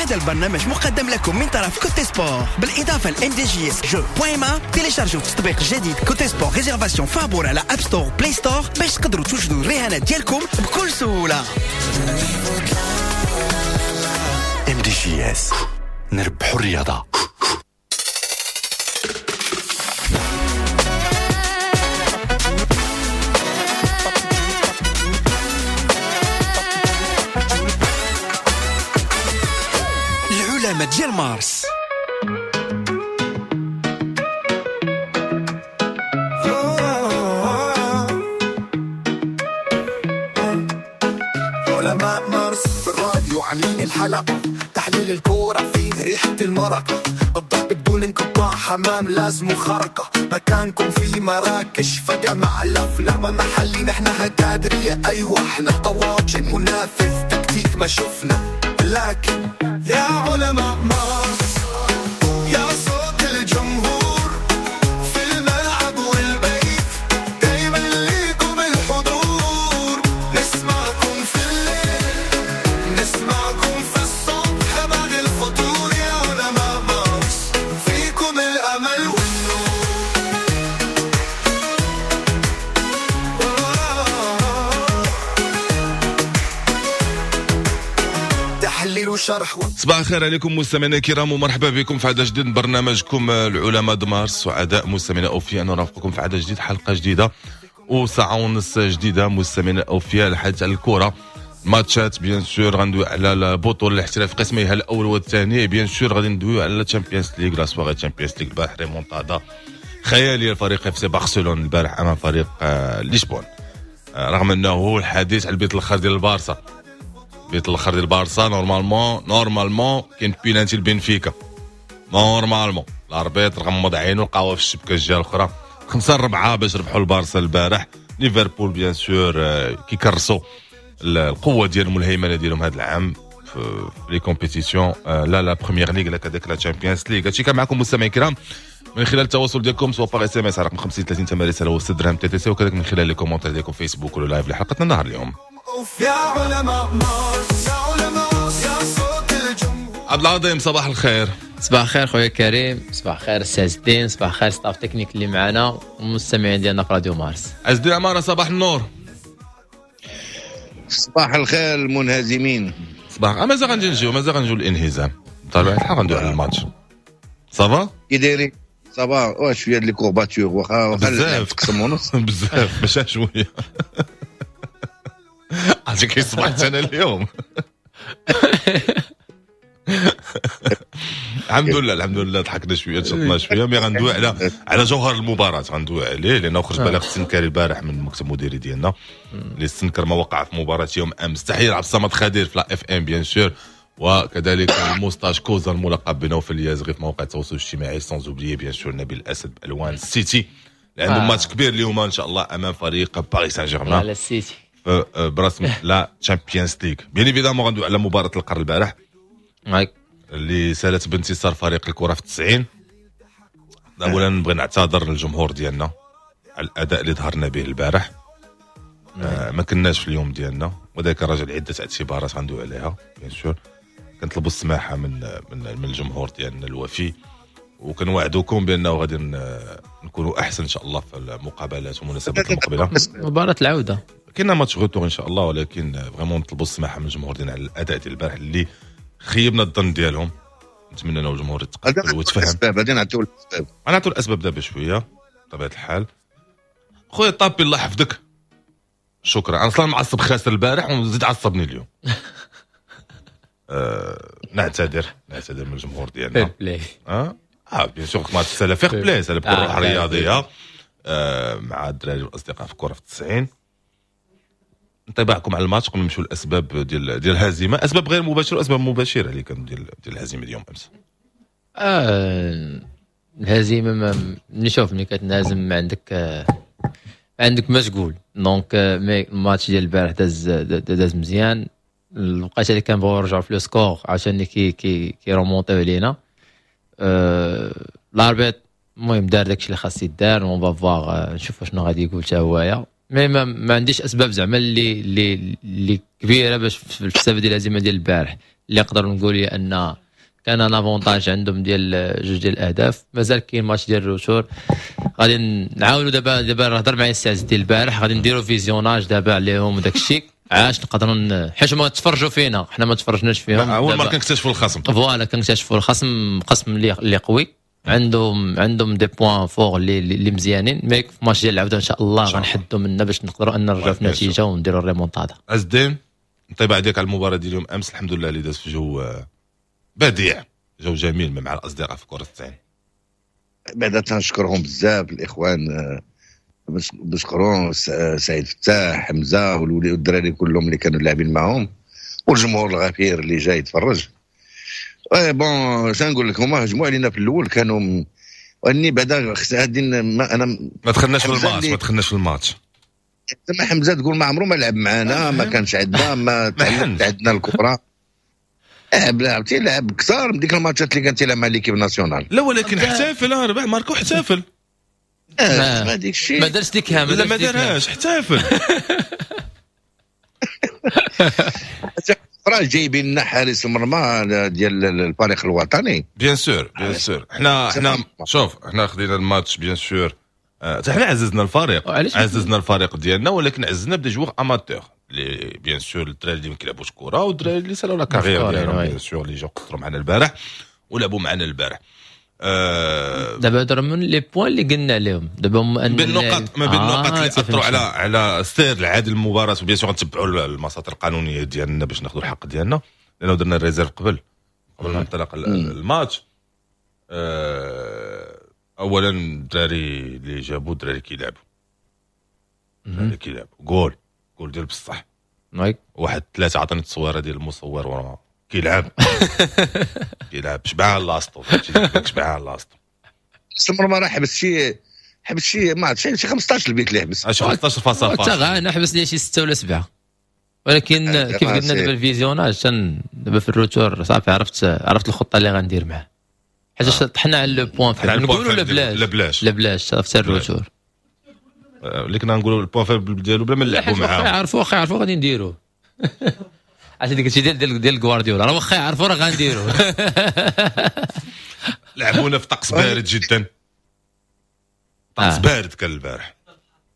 هذا البرنامج مقدم لكم من طرف Cote Sport بالاضافة ل MDJS jeux point ma. تيليشارجوا التطبيق الجديد Cote Sport réservation فابور على App Store، Play Store باش تقدروا توجدوا الرهانات ديالكم بكل سهوله. MDJS نربحوا الرياضه. العلماء ديال مارس. علماء مارس في الراديو عاملين الحلقة، تحليل الكورة فيه ريحة المرقة، الضرب بدون انقطاع، حمام لازم خرقة، مكانكم في مراكش فجأة مع الأفلام محلي، نحن هكادرية أيوة احنا طواجن منافذ تكتيك ما شفنا، لكن يا علماء مارس يا صوت الجمهور في الملعب والبيت، دايما ليكم الحضور، نسمعكم في الليل نسمعكم في الصبح بعد الفطور، يا علماء مارس فيكم الأمل والنور. تحليل وشرح. صباح الخير عليكم مستمعينا الكرام ومرحبا بكم في عدد جديد من برنامجكم العلماء د مارس. سعداء مستمعينا اوفياء ان نرافقكم في عدد جديد، حلقة جديدة وساعة ونص جديدة مستمعينا اوفياء الحديث على الكره، ماتشات bien sûr، غندوي على البطولة الاحتراف قسميها الاول والثاني، bien sûr غادي ندويو على Champions League، la soirée Champions League البارح ريمونتادا خيالية لفريق FC برشلونة البارح امام فريق لشبون، رغم انه الحديث على البيت الاخر ديال البارسا، البيت الاخر ديال البارسا normalement كاين بينالتي لبنفيكا، normalement l'arbitre غمض عينو لقاوها في الشبكة الجهة الاخرى، 5-4 باش ربحوا البارسا البارح. ليفربول bien sûr كيكرسوا القوة ديالهم والهيمنه ديالهم هذا العام في les compétitions، لا la Premier League لا كذلك la Champions League. هادشي كان معكم مستمعين الكرام من خلال التواصل ديالكم سواء par SMS على رقم 50 30 8 رسالة و 6 درهم TTC، وكذلك من خلال les commentaires ديالكم فيسبوك ولا live لحلقتنا النهار اليوم. يا علماء مارس يا علماء يا صوت الجمهور. عبد العظيم صباح الخير. صباح الخير خويا كريم، صباح الخير السي عز الدين، صباح الخير staff technique اللي معنا والمستمعين ديالنا في راديو مارس. عز الدين عمارة صباح النور. صباح الخير المنهزمين. صباح مازال غنجي نجيو، مازال غنجيو الانهزام بطبيعة الحال، غندوي على الماتش. ça va كي دايرين؟ ça va واش شوية les courbatures واخا بزاف تقسم ونص بزاف ماشي شوية. عرفتي كي صبحت انا اليوم. الحمد لله الحمد لله ضحكنا شوية تشطنا شوية، mais غندوي على جوهر المباراة غندوي عليه، لانه خرج بلاغ السنكري البارح من المكتب المديري ديالنا اللي استنكر ما وقع في مباراة يوم امس. تحية لعبد الصمد خدير في la FM bien sûr، وكذلك الموستاج كوزا الملقب بنوفل اليازغي في مواقع التواصل الاجتماعي، sans oublier bien sûr نبيل الاسد بالوان السيتي اللي عندهم ماتش كبير اليوم ان شاء الله امام فريق باريس سان جيرمان على السيتي برسم la Champions League. bien évidemment غندوي على مباراة القرن البارح اللي سالت بانتصار فريق الكره في 90. اولا نبغي نعتذر للجمهور ديالنا على الاداء اللي ظهرنا به البارح، ما كناش في اليوم ديالنا، وذاك الرجل عده اعتبارات غندوي عليها bien sûr. كنطلبوا السماحة من من الجمهور ديالنا الوفي، وكنوعدوكم بانه غادي نكونوا احسن ان شاء الله في المقابلات والمناسبات المقبلة. مباراة العودة كاين match retour ان شاء الله، ولكن vraiment نطلبوا السماحة من الجمهور ديالنا على الاداء ديال البارح اللي خيبنا الظن ديالهم. نتمنى انه الجمهور يتقبل ويتفهم. غادي نعطيو الاسباب، غنعطيو الاسباب دابا شوية بطبيعة الحال. خويا طابي الله يحفظك، شكرا. انا اصلا معصب خاسر البارح وزيد عصبني اليوم. نعتذر من الجمهور ديالنا. fair play bien sûr match سالا fair play، سالا بكل روح رياضية مع الدراري والاصدقاء في الكره في 90. انطباعكم على الماتش قبل نمشيو للاسباب ديال الهزيمة، اسباب غير مباشرة واسباب مباشرة اللي كانوا ديال الهزيمة اليوم امس. الهزيمة نشوف ملي كتنهزم ما عندك ما تقول. donc mais الماتش ديال البارح داز مزيان. الوقيته اللي كنبغيو نرجعو في le score عشان كي كي كيرومونطيو علينا. l'arbitre المهم دار داكشي اللي خاص يدار، on va voir نشوف شنو غادي يقول حتى هوايا. mais ما عنديش اسباب زعما اللي كبيرة باش في السبب ديال الهزيمة ديال البارح. اللي نقدر نقول هي ان كان un avantage عندهم ديال جوج ديال الاهداف. مازال كاين ماتش ديال ال retour، غادي نعاونوا دابا هضر معايا السي عز الدين البارح، غادي نديروا visionnage دابا عليهم وداك الشيء عاش نقدروا، حيت هما تفرجوا فينا، حنا ما تفرجناش فيهم. اول مرة كنكتشفوا الخصم. voilà كنكتشفوا الخصم، قسم اللي قوي، عندهم des points forts اللي مزيانين. mais في ماتش ديال العودة ان شاء الله غنحدوا منا باش نقدروا ان نرجعوا في النتيجة ونديروا الريمونتادا. عز الدين، انطباع ديالك على المباراة ديال اليوم امس؟ الحمد لله اللي داز في جو بديع، جو جميل مع الاصدقاء في كره التسعين. بعدا تنشكرهم بزاف الاخوان، بشكرهم سعيد فتاح، حمزة والدراري كلهم اللي كانوا لاعبين معاهم، والجمهور الغفير اللي جاي يتفرج. bon شنو لك، هما هجموا علينا في الاول كانوا واني بعدا غادي ما انا ما دخلناش في الماتش، ما دخلناش في الماتش. زعما حمزة تقول ما عمره ما لعب معنا، ما كانش عندنا، ما تعلمت عندنا الكره. لعب لعب كثار من ديك الماتشات اللي كان تيلعب مع l'équipe nationale. لا ولكن احتفل، ربح ماركو احتفل. ما ديك الشيء ما دارش ديك لا ما دارهاش، احتفل. راه جايبين لنا حارس المرمى ديال الفريق الوطني. bien sûr bien sûr، حنا شوف حنا خدينا الماتش bien sûr، حنا عززنا الفريق، عززنا الفريق ديالنا، ولكن عززنا ب des joueurs amateurs اللي bien sûr الدراري اللي ما كيلعبوش كره والدراري اللي سالوا la carrière ديالهم bien sûr، اللي جاو قصروا معنا البارح ولعبوا معنا البارح. دابا هضر من les points اللي قلنا عليهم دابا، بين النقط، ما بين النقط اللي اثروا على السير العادي المباراة. و bien sûr غنتبعوا المساطر القانونية ديالنا باش ناخذوا الحق ديالنا، لانه درنا ال réserve قبل ما انطلق الماتش. اولا الدراري اللي جابوا الدراري كيلعبوا، الدراري كيلعبوا جول جول ديال بصح. واحد ثلاثة عطاني التصويره ديال المصور وراه كيلعب كيلعب شبعان لاصطو، شبعان لاصطو. المرمى راه حبس شي ما عرفتش شي 15 البيت اللي حبس، 15 فاصل حتى انا حبس لي شي 6 ولا 7. ولكن كيف قلنا دابا ال visionnage دابا في ال retour صافي عرفت الخطة اللي غندير معاه، حيت طحنا على le point faible نقولوا لا بلاش لا بلاش لا بلاش عرفت ال retour اللي كنا نقولوا ال point faible ديالو بلا ما نلعبوا معاه. واخا يعرفوا غادي نديروا عرفتي ديك الشيء ديال ديال غوارديولا، راه واخا يعرفوا راه غنديروا. لعبونا في طقس بارد جدا، طقس بارد كان البارح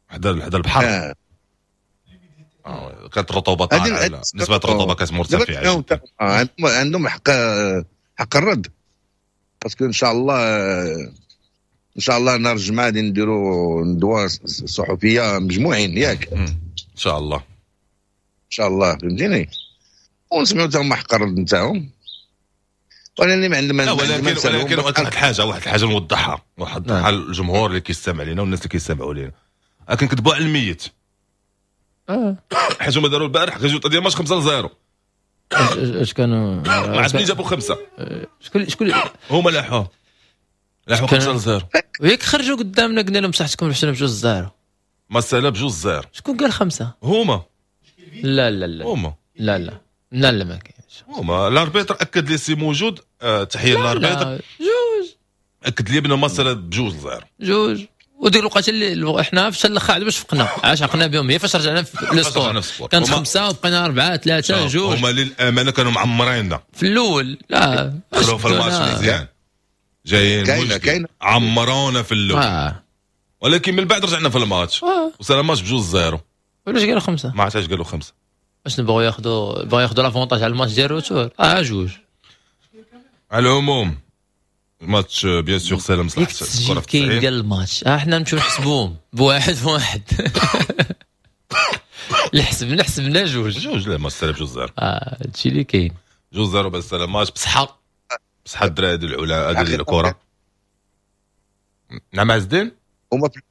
حدا البحر، كانت الرطوبة طالعه، نسبه الرطوبة كانت مرتفعة. عندهم حق الرد، parce que ان شاء الله نهار الجمعة غادي نديروا ندوه صحفية مجموعين، ياك ان شاء الله ان شاء الله، فهمتيني، ونسمعوا حتى هما حق الرد نتاعهم. ولكن ما عندنا ولكن واحد الحاجة نوضحها للجمهور اللي كيستمع لينا والناس اللي كيستمعوا لينا، كنكذبوا على الميت. حيت هما داروا البارح résultat ديال ماتش 5-0. اش كانوا ما عرفتش منين جابوا 5، شكون هما لاحوه 5-0 وياك خرجوا قدامنا قلنا لهم صحتكم ربحتونا ب2-0، ما سالا ب2-0. شكون قال 5؟ هما لا لا لا هما لا لا لا لا ما كاينش. هما ال arbitre اكد لي سي موجود، تحية لل arbitre. جوج اكد لي بان ما سالا ب2-0 جوج. وديك الوقت اللي احنا فاش الاخر عاد باش فقنا، عاش عقنا بهم هي فاش رجعنا في ال score كانت 5 وبقينا 4 3 2. هما للامانة كانوا معمريننا في الاول، لا دخلوا في الماتش مزيان، جايين عمرونا في الاول، ولكن من بعد رجعنا في الماتش وصل الماتش ب2-0. علاش قالوا 5؟ ما عرفتش قالوا 5. واش نبغوا ياخذوا l'avantage على الماتش ديال ال retour؟ جوج. على العموم الماتش bien sûr سالم صلاح الكره كاين ديال الماتش، حنا نمشيو نحسبوهم بواحد بواحد. حسبنا جوج لا ما سالم 2-0. هادشي اللي كاين 2-0 بس الماتش بصحة الدراري ديال العلا ديال الكره. نعم عز الدين، هما في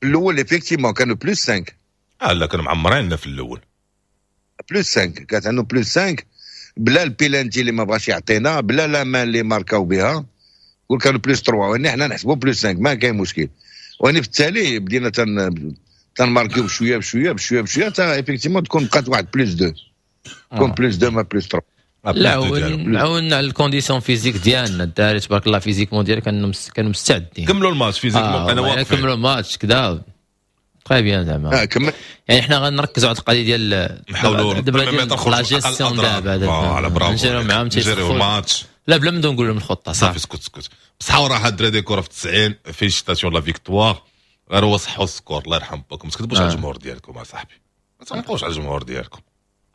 الاول effectivement كانوا plus 5. لا كانوا معمريننا في الاول plus 5، كانت عندهم plus 5 بلا البيلانتي اللي ما بغاش يعطينا، بلا la main اللي ماركاو بها، قول كانوا plus 3 واني حنا نحسبوا plus 5 ما كاين مشكل. واني في التالي بدينا تنماركيو بشوية بشوية بشوية بشوية حتى effectivement تكون بقات واحد plus 2، تكون plus 2 ما plus 3. لا عاونا على ال condition physique ديالنا الدراري تبارك الله physiquement ديالك كانوا مستعدين، كملوا الماتش physiquement، انا واقف كملوا الماتش كذا très bien زعما. كمل. يعني حنا غنركزوا على القضية ديال نحاولوا دابا la gestion دابا voilà bravo، نجريو معاهم نجريو الماتش. لا، بلا ما نقول لهم الخطه. صافي، اسكت اسكت. بصحة وراحة الدراري، كره في 90، félicitations la victoire. غير هو صحوا ال score، الله يرحم باكم، ما تكذبوش على الجمهور ديالكم اصاحبي، ما تنقوش على الجمهور ديالكم.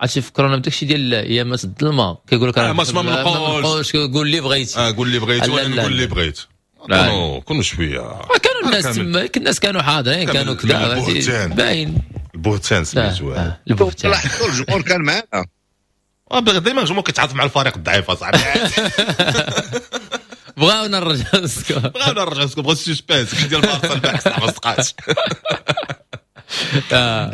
عرفتي فكرونا بداكشي ديال ايامات الظلمه، كيقول لك ما منقولش. قول اللي بغيتي. قول اللي بغيتي وانا نقول اللي بغيت. كونوا شويه. كانوا الناس تما، الناس كانوا حاضرين، كانوا كذا باين. البهتان سميتو. البهتان. الجمهور كان معنا. دائما الجمهور كيتعاطف مع الفريق الضعيف اصاحبي. بغاونا نرجعوا ال score. بغاونا نرجعوا ال score، بغاو ال suspense ديال البارسا البارح، ما صدقاتش.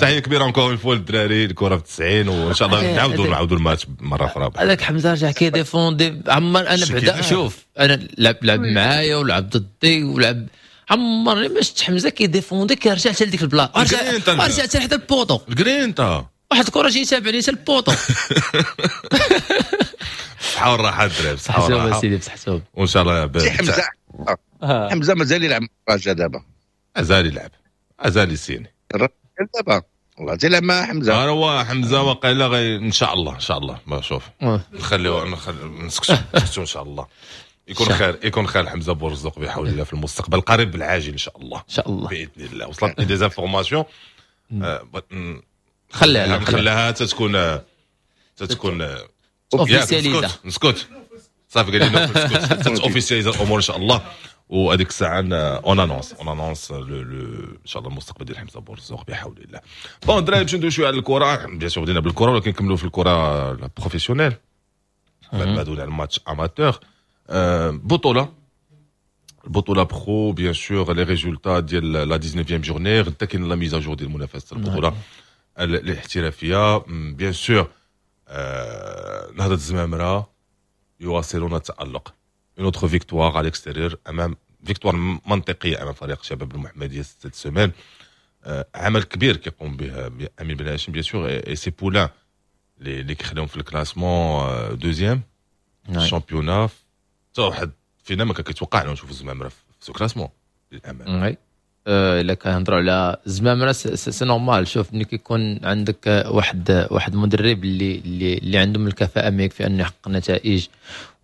تحية كبيرة encore une fois للدراري، الكره في 90، وان شاء الله نعاودوا الماتش مرة اخرى. هذاك حمزة رجع كي défendre عمر. انا بعدا شوف، انا لعب معايا ولعب ضدي ولعب، عمرني ما شفت حمزة كي défendre كيرجع حتى لديك البلاصه، رجع حتى حدا ال poteau. الجرينتا. واحد الكره جاي تابعني حتى ال poteau. بصحة والراحة الدراري، بصحة والراحه. سيدي، بصحتهم. وان شاء الله. حمزه، حمزة مازال يلعب الرجاء دابا؟ مازال يلعب، مازال يسيني. دابا والله تيلعب مع حمزه. هو حمزة وقيلا غي ان شاء الله، ان شاء الله ما شوف نخليو نسكتو نسكتو، ان شاء الله يكون خير، يكون خير. حمزة بورزوق بحول الله في المستقبل القريب العاجل ان شاء الله. ان شاء الله. باذن الله. وصلتني des informations. خليها. نخليها تتكون officialisée. نسكت، صافي، قال لي نسكت، officialiser الامور ان شاء الله، وهذيك الساعة on annonce ان شاء الله المستقبل ديال حمزة بورزوق بحول الله. bon الدراري، باش ندوي شوية على الكره، bien sûr بدينا بالكرة ولكن نكملوا في الكره professionnelle بعد ما دوينا على ال match amateur. البطولة pro، bien sûr les résultats ديال la 19 journée. غدا كاين la mise à jour ديال منافسه البطولة الاحترافيه. bien sûr نهضة الزمامره يواصلون التألق، une autre victoire à l'extérieur امام، victoire منطقية امام فريق شباب المحمدية cette semaine. عمل كبير كيقوم به امين بن هاشم bien sûr et ses poulains اللي كيخليهم في ال classement deuxième championnat. حتى واحد فينا ما كان كيتوقع انه نشوفوا الزمامره في ce classement للامانه. oui، الا كنهضروا على الزمامره c'est normal. شوف، ملي كيكون عندك واحد مدرب اللي عنده من الكفاءة ما يكفي انه يحقق نتائج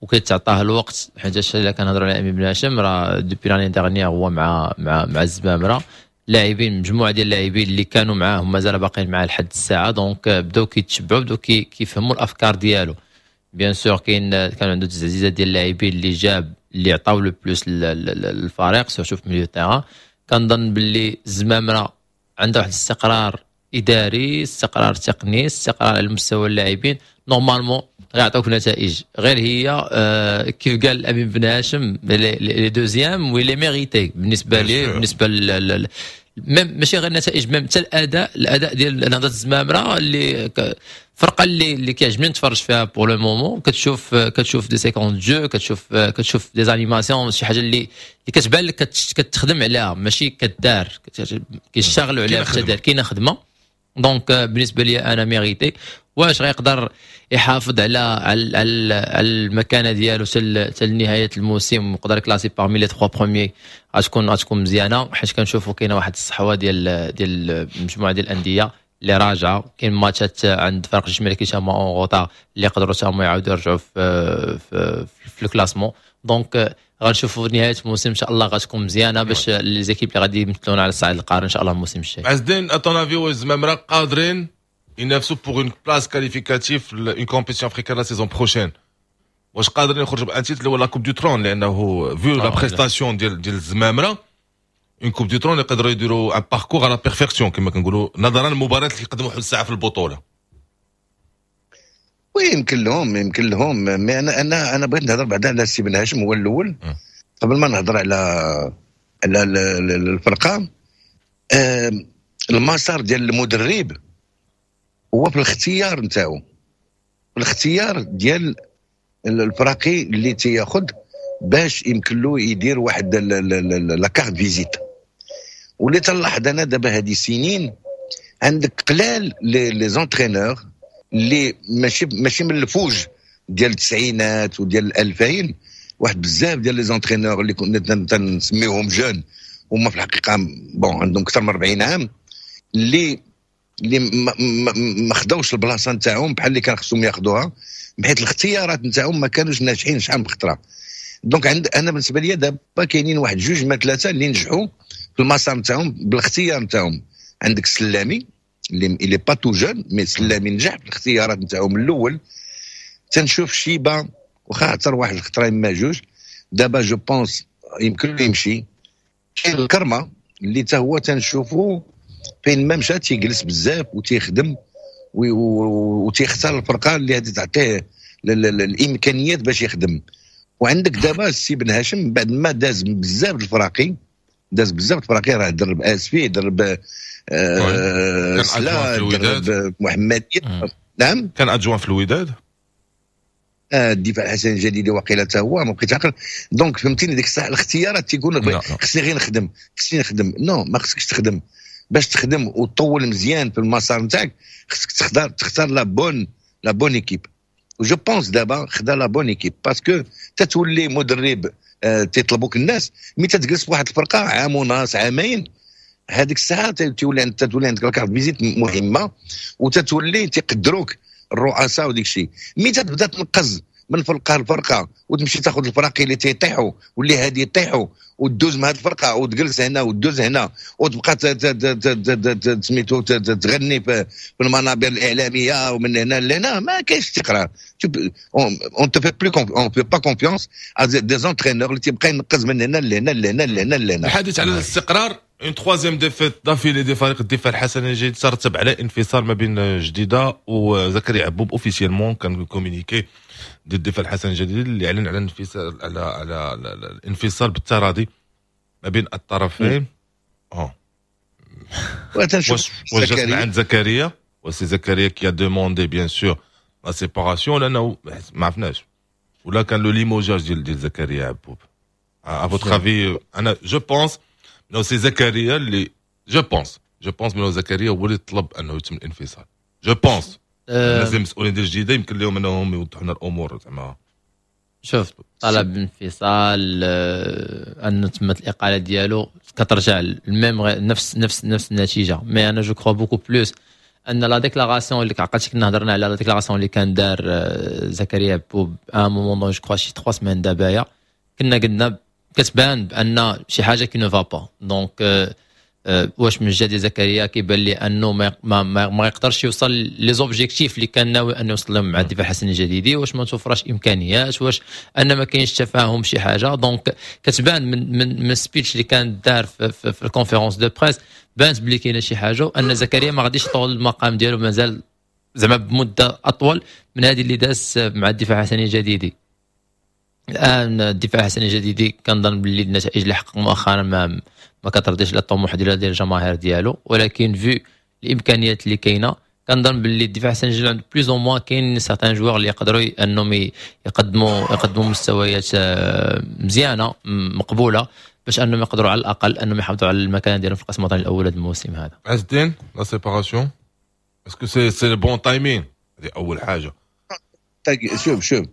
وكيتعطاه الوقت، حيت الا كنهضروا على امين بن هاشم راه depuis l'année dernière هو مع الزمامره، لاعبين، مجموعة ديال اللاعبين اللي كانوا معاه مازال باقيين معاه لحد الساعه، donc بداو كيتشبعوا، بداو كيفهموا الافكار ديالو. bien sûr كان عنده تعزيزات ديال اللاعبين اللي جاب اللي عطاو le plus للفريق، surtout في milieu terrain. كنظن باللي الزمامره عندها واحد الاستقرار اداري، استقرار تقني، استقرار على مستوى اللاعبين، normalement غيعطوك نتائج. غير هي كيف قال امين بن هاشم، les deuxièmes و les mérités بالنسبة لي، بالنسبة même ماشي غير النتائج، même حتى الاداء ديال نهضة الزمامره اللي فرقه اللي كيعجبني نتفرج فيها pour le moment. كتشوف des séquences de jeu، كتشوف des animations، شي حاجة اللي كتبان لك كتخدم عليها، ماشي كدار، كيشتغلوا عليها في التدار، كاينه خدمه. donc بالنسبة لي انا mérité. واش غيقدر يحافظ على المكانة ديالو حتى لنهاية الموسم ويقدر classer parmi les 3 premiers، غتكون مزيانه، حيت كنشوفوا كاينه واحد الصحوة ديال مجموعة ديال الاندية اللي راجعه. كاين ماتشات عند فرق الجيش الملكي تما en retard اللي يقدروا تما يعاودوا يرجعوا في ال classement. donc غنشوفوا نهاية الموسم ان شاء الله غتكون مزيانه باش les équipes اللي غادي يمثلونا على الصعيد القاري ان شاء الله الموسم الجاي. عز الدين، à ton avis، واش الزمامره قادرين ينافسوا pour une place qualificative une compétition africaine la saison prochaine؟ واش قادرين يخرجوا ب un titre اللي هو la Coupe du Trône؟ لانه vu la prestation ديال الزمامره، une Coupe du Trône يقدروا يديروا un parcours à la perfection كما كنقولوا، نظرا للمباريات اللي يقدموا حد الساعة في البطوله. oui، يمكن لهم، mais انا بغيت نهضر بعدا على السي بن هاشم هو الاول قبل ما نهضر على الفرقه. المسار ديال المدرب هو في الاختيار نتاعو، في الاختيار ديال الفراقي اللي تياخذ باش يمكن له يدير واحد la carte visite. واللي تنلاحظ انا دابا هذه سنين، عندك قلال les entraîneurs اللي ماشي من الفوج ديال التسعينات وديال الألفين. واحد بزاف ديال les entraîneurs اللي كنا تنسميوهم jeunes هما في الحقيقة bon عندهم اكثر من 40 عام. اللي ما خداوش البلاصة نتاعهم بحال اللي كان خصهم ياخذوها، بحيث الاختيارات نتاعهم ما كانوش ناجحين شحال من خطره. donc عند انا بالنسبة لي دابا كاينين واحد جوج ما ثلاثة اللي نجحوا في المسار نتاعهم بالاختيار نتاعهم. عندك السلامي اللي il est pas tout jeune، mais السلامي نجح في الاختيارات نتاعو من الاول. تنشوف شيبة واخا عثر واحد الخطرة اما جوج، دابا je pense يمكن له يمشي. كاين الكرمة اللي حتى هو تنشوفو فين ما مشى تيجلس بزاف وتيخدم وتيختار الفرقة اللي غادي تعطيه الامكانيات باش يخدم. وعندك دابا السي بن هاشم بعد ما داز بزاف الفراقي، داز بزاف الفراقي، راه درب اسفي، درب سلا، درب محمديه. نعم كان adjoint في الوداد، الدفاع الحسني الجديد وقيله حتى هو ما بقيت عاقل. donc فهمتيني ديك الساعة الاختيارات تيقول خصني غير نخدم، خصني نخدم. non، ما خصكش تخدم. باش تخدم وتطول مزيان في المسار نتاعك خصك تختار la bonne équipe. و je pense دابا خدا la bonne équipe، parce que تتولي مدرب تيطلبوك الناس، mais تتجلس في واحد الفرقة عام ونص عامين، هذيك الساعة تولي عندك la carte visite مهمة وتتولي تيقدروك الرؤساء وديك الشيء. mais تبدا تنقز من فرقه لفرقة وتمشي تاخذ الفراقي اللي تيطيحوا واللي هادي يطيحوا وتدوز مع هاد الفرقة وتجلس هنا وتدوز هنا وتبقى سميتو تغني في المنابر الاعلامية ومن هنا لهنا، ما كاينش استقرار. on te fait plus on fait pas confiance à des entraîneurs اللي تيبقى ينقز من هنا لهنا لهنا لهنا لهنا. الحديث على الاستقرار، une troisième défaite d'affilée ديال فريق الدفاع الحسني الجديد ترتب على انفصال ما بين جديدة وزكريا عبوب. officiellement كان communiqué ديال الدفاع الحسني الجديد اللي اعلن على الانفصال، على الانفصال بالتراضي ما بين الطرفين. واش جات عند زكريا؟ وسي زكريا qui a demandé bien sûr la séparation، لانه ما عرفناش ولا كان le limogeage ديال زكريا عبوب. à votre avis؟ انا je pense انه سي زكريا اللي je pense انه زكريا هو اللي طلب انه يتم الانفصال. je pense الناس المسؤولين ديال الجديدة يمكن لهم انهم يوضحوا لنا الامور زعما. شوف، طلب انفصال، انه تمت الاقالة ديالو كترجع ال même نفس نفس نفس النتيجه. mais انا je crois beaucoup plus ان la déclaration اللي عقلتي كنا هضرنا على la déclaration اللي كان دار زكريا عبوب à un moment donné، je crois شي 3 semaines دابايا، كنا قلنا كتبان بان شي حاجة qui ne va pas. donc واش من جهة زكريا كيبان لي انه ما يقدرش يوصل les objectifs اللي كان ناوي انه يوصل لهم مع الدفاع الحسني الجديدي، واش ما توفرش امكانيات، واش ان ما كاينش تفاهم شي حاجه. donc كتبان من speech اللي كان دار في ال conférence de presse، بانت بلي كاينه شي حاجة وان زكريا ما غاديش يطول المقام ديالو مازال زعما بمدة اطول من هذه اللي داز مع الدفاع الحسني الجديدي. الان الدفاع الحسني الجديدي كنظن باللي النتائج اللي حقق مؤخرا ما كترضيش لا الطموح ديال الجماهير ديالو، ولكن vu الامكانيات اللي كاينه كنظن باللي الدفاع الحسني الجديدي عنده plus ou moins كاين certains joueurs اللي يقدروا انهم يقدموا مستويات مزيانه مقبولة باش انهم يقدروا على الاقل انهم يحافظوا على المكان ديالهم في القسم الوطني الاول هذا الموسم هذا. عز الدين، la séparation، est-ce que c'est le bon timing؟ هذه اول حاجه. شوف شوف،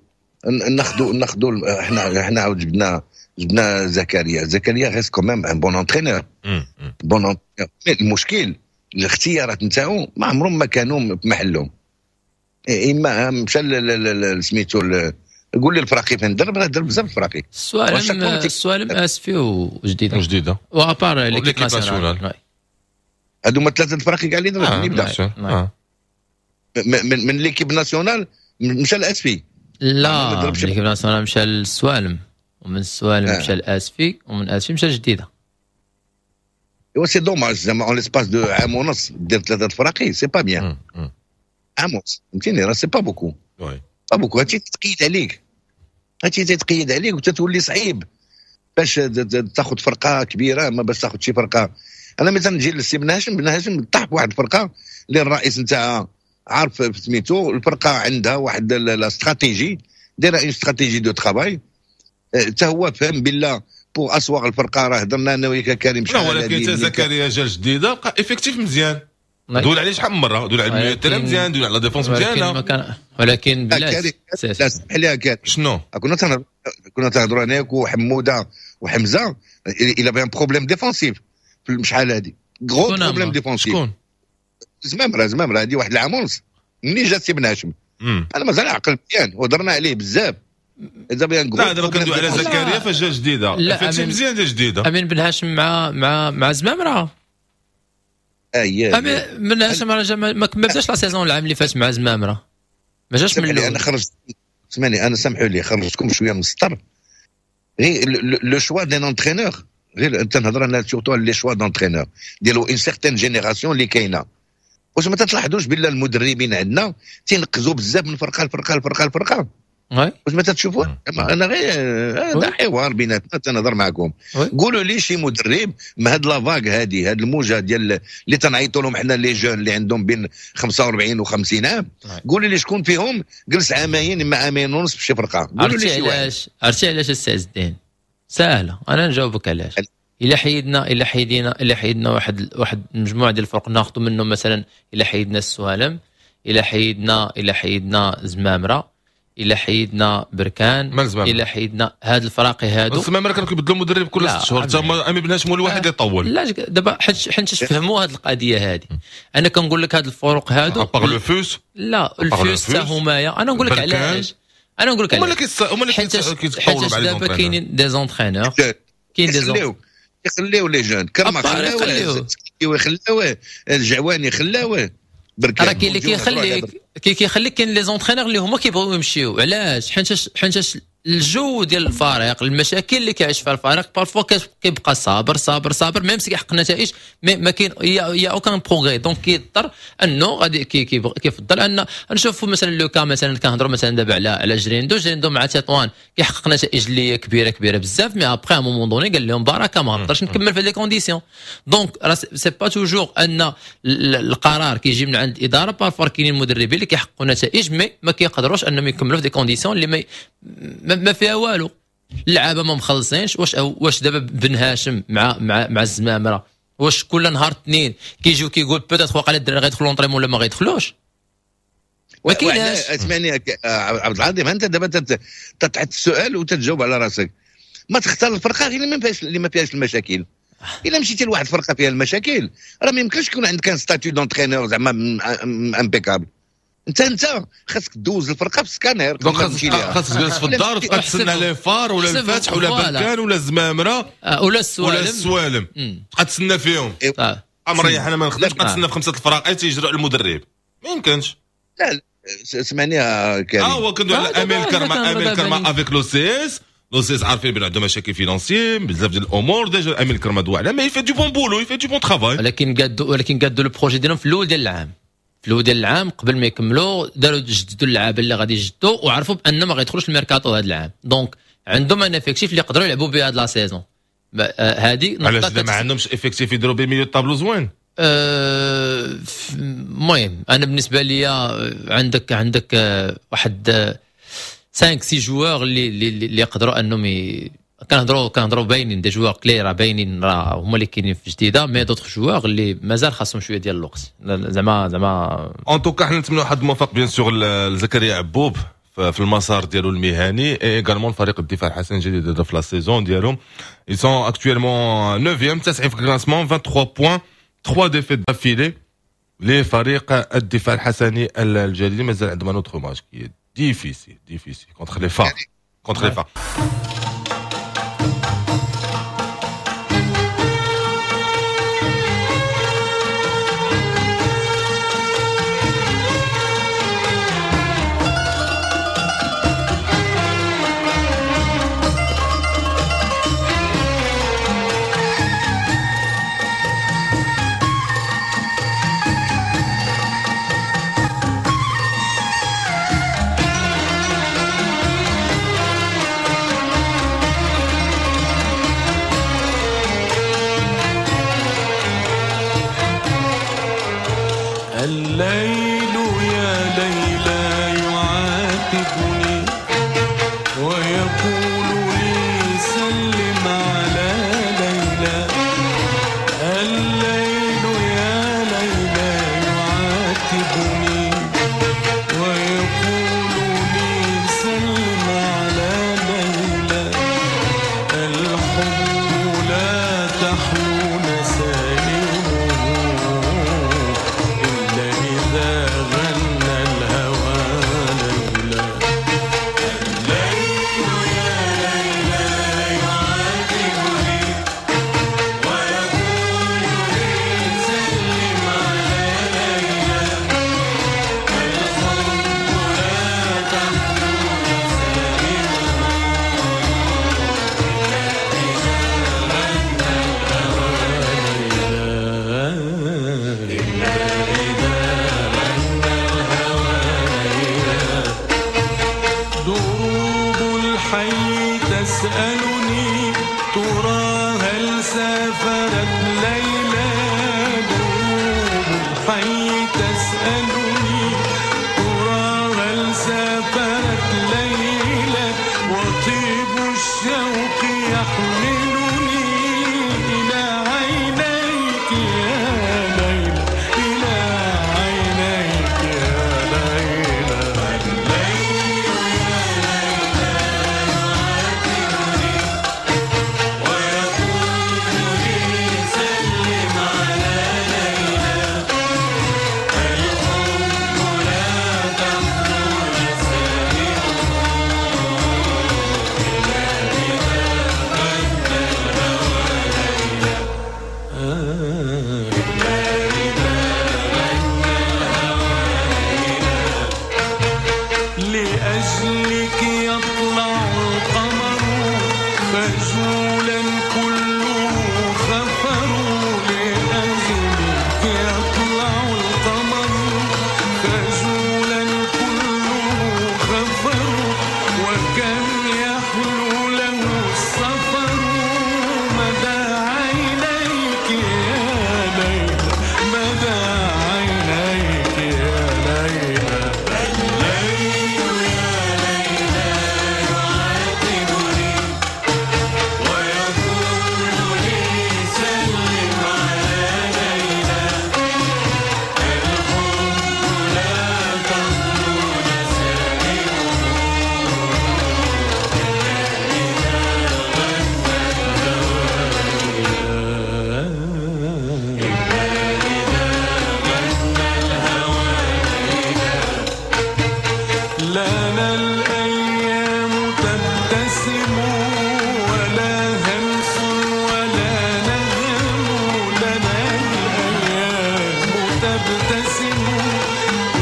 ناخذوا احنا عاود جبنا زكريا. زكريا reste quand même un bon entraîneur، bon. المشكل الاختيارات نتاعو ما عمرهم ما كانوا في محلهم. اما مشى سميتو، قول لي الفراقي فين درب؟ راه درب بزاف الفراقي. السوالم، اسفي وجديده. وجديده. و à part l'équipe nationale. هادو هما ثلاثة الفراقي كاع اللي درب. يبدا من l'équipe nationale مشى لاسفي. لا، l'équipe nationale مشى للسوالم، ومن السوالم مشى لاسفي، ومن اسفي مشى لجديده. ايوا c'est dommage زعما en l'espace de عام ونص دير ثلاثة الفراقي، c'est pas bien. عام ونص فهمتيني، راه c'est pas beaucoup، pas beaucoup. هادشي تتقيد عليك، هادشي تتقيد عليك وتتولي صعيب باش تاخذ فرقه كبيره، ما باش تاخذ شي فرقه. انا مثلا نجي للسي بن هاشم، بن هاشم طاح بواحد الفرقة اللي الرئيس نتاعها عارف سميتو الفرقه، عندها واحد la stratégie، دايرة une stratégie de travail. حتى هو فهم بالله pour asseoir الفرقه. راه هضرنا انا وياك كريم. شحال، ولكن حتى زكريا جا جديده، بقى effectif مزيان، دول عليه شحال من مرة، دول على ال milieu terrain مزيان، دول على défense مزيانه. ولكن بلاش. لا، سمح لي كريم. شنو؟ كنا تنهضروا انا وحموده وحمزه، il avait un problème défensif شحال هادي، gros problème défensif. شكون؟ زمامرة هذه واحد العام ونص ملي جا سي بن هاشم انا مازال عقل مزيان وهضرنا عليه بزاف. لا دابا كندوي على زكريا فاش جا جديدة، فهمتي مزيان جا جديدة. امين بن هاشم مع زمامرة. اييه امين بن هاشم راه ما بداش la saison العام اللي فات مع زمامرة، ما جاش من الاول. انا خرجت، اسمعني انا سامحوا لي خرجتكم شوية من السطر. غير le choix d'un entraîneur، غير تنهضر انا surtout على les choix d'entraîneur ديالو une certaine génération اللي كاينه. واش ما تلاحظوش بلا المدربين عندنا تينقزوا بزاف من فرقه لفرقة لفرقة لفرقة؟ واش ما تتشوفوا؟ انا غير هذا حوار بيناتنا تنهضر معكم. قولوا لي شي مدرب من هاد la vague هادي، هاد الموجه ديال اللي تنعيطوا لهم حنا les jeunes اللي عندهم بين 45 و50 عام، قولوا لي شكون فيهم جلس عامين اما عامين ونص في شي فرقه؟ قولوا لي شي واحد. عرفتي علاش السي عز الدين؟ ساهله، انا نجاوبك علاش. الا حيدنا واحد المجموعة ديال الفرق ناخذوا منهم مثلا، الا حيدنا السوالم، الا حيدنا زمامرة، الا حيدنا بركان، الا حيدنا هاد الفراقي هادو. زمامرة كانوا كيبدلوا المدرب كل 6 شهور، تا امين بن هاشم هو الواحد اللي طول. لا دابا حيت فهموا هاد القضية هادي. انا كنقول لك هاد الفروق هادو à part le FUS. لا الفوس حتى همايا. انا نقول لك علاش، انا نقول لك علاش هما اللي كيتطوروا مع دابا كاينين des entraîneurs، كاين des يخليو les jeunes كرما خلاوه، خلاوه الجعواني، خلاوه بركان. راه كاين اللي كيخليك كاين les entraîneurs اللي هما كيبغيو يمشيو. علاش؟ حيت الجو ديال الفريق، المشاكل اللي كيعيش فيها الفريق، parfois كيبقى صابر صابر صابر même si كيحقق نتائج، mais ما كاين y a aucun progrès. donc كيضطر انه غادي كيفضل ان نشوفوا مثلا le cas، مثلا كنهضروا مثلا دابا على جريندو مع تطوان كيحقق نتائج اللي هي كبيرة كبيرة بزاف، mais après un moment donné قال لهم بركة ما نقدرش نكمل في les conditions. donc راه c'est pas toujours ان القرار كيجي من عند الادارة، parfois كاينين المدربين اللي كيحققوا نتائج mais ما كيقدروش انهم يكملوا في des conditions اللي ما فيها والو. اللعابه ما مخلصينش. واش دابا بن هاشم مع مع مع الزمامره، واش كل نهار اثنين كيجيو كيقول peut-être واقع الدراري غيدخلوا l'entraînement ولا ما غيدخلوش؟ ما كايناش. اسمعني عبد العظيم، انت دابا تطرح السؤال وتتجاوب على راسك. ما تختار الفرقة غير اللي ما فيهاش المشاكل. الا مشيتي لواحد الفرقة فيها المشاكل راه ما يمكنش يكون عندك un statut d'entraîneur زعما impeccable. انت خاصك دوز الفرقة في ال scanner، donc خاصك تجلس في الدار وتبقى تسنى les FAR ولا الفتح ولا بركان ولا الزمامره ولا السوالم، تبقى تسنى فيهم. مريح انا ما نخدمش، تبقى تسنى في 5 الفراق تيجروا على المدرب، ما يمكنش. لا سمعني يا كريم، هو كندوي على امين كرما، امين كرما avec l'OCS، l'OCS عارفين بان عندهم مشاكل financiers بزاف ديال الامور. déjà امين كرما دوا على mais il fait du bon boulot، il fait du bon travail. ولكن قادوا le projet ديالهم في الاول ديال العام، في الاول ديال العام قبل ما يكملوا داروا جددوا اللعابه اللي غادي يجدوا، وعرفوا بان ما غيدخلوش الميركاتو هذا العام. donc عندهم un effectif اللي يقدروا يلعبوا به هذا la saison. هذه علاش ما عندهمش effectif يديروا به milieu tableau زوين؟ المهم انا بالنسبة لي عندك واحد 5 6 joueurs اللي يقدروا انهم كنهضروا باينين des joueurs clés راه باينين، راه هما اللي كاينين في جديدة، mais d'autres joueurs اللي مازال خاصهم شوية ديال الوقت. زعما en tout cas حنا نتمنوا حظ موفق bien sûr لزكريا عبوب في المسار ديالو المهني، et également فريق الدفاع الحسن الجديد في la saison ديالهم. ils sont actuellement 9e 9 في ال classement، 23 points، 3 défaites d'affilée لفريق الدفاع الحسني الجديد. مازال عندهم un autre match qui est difficile difficile contre les FAR، contre les FAR. الليل يا ليلى يعاتبني ويقول لي سلم على ليلى. الليل يا ليلى يعاتبني ويقول لي سلم على ليلى. الحب لا تحلو نسائمه، لأجلك يطلع القمر خجولا كله خفر، لأجلك يطلع القمر خجولا كله خفر، وكم يحلو له السفر مدى عينيك يا ليلى، مدى عينيك يا ليلى. الليل يا ليلى يعاتبني ويقول لي سلم على ليلى، الحب لا تخلو نسائمه إلا إذا غنى الهوى ليلى، إلا إذا غنى الهوى ليلى. لنا الأيام تبتسم ولا همس ولا نغم، لنا الأيام تبتسم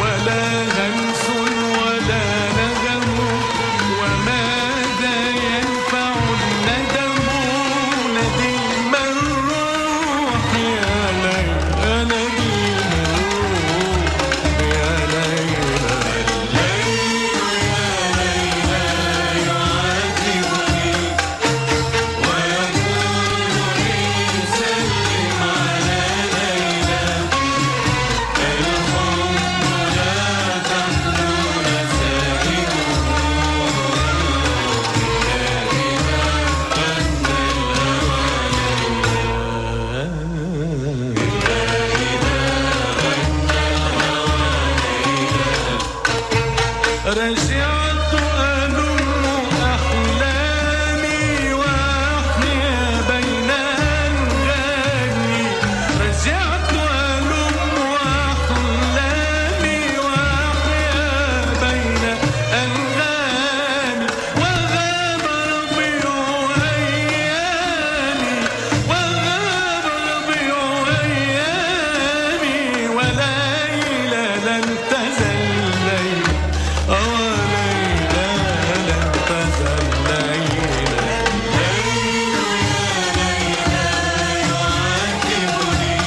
ولا همس ولا نغم، وماذا ينفع الندم نديم الروح يا ليلى، نديم الروح يا ليلى. الليل يا ليلى يعاتبني ويقول لي سلم على ليلى، الحب لا تخلو نسائمه إلا إذا غنى الهوى ليلى، إلا إذا غنى الهوى ليلى. رجعت ألم أحلامي وأحيا بين أنغامي، رجعت ألم أحلامي وأحيا بين أنغامي، وغاب ربيع أيامي، وغاب ربيع أيامي، وليلى لم تزل ليلى، وليلى لم تزل ليلى. الليل يا ليلى يعاتبني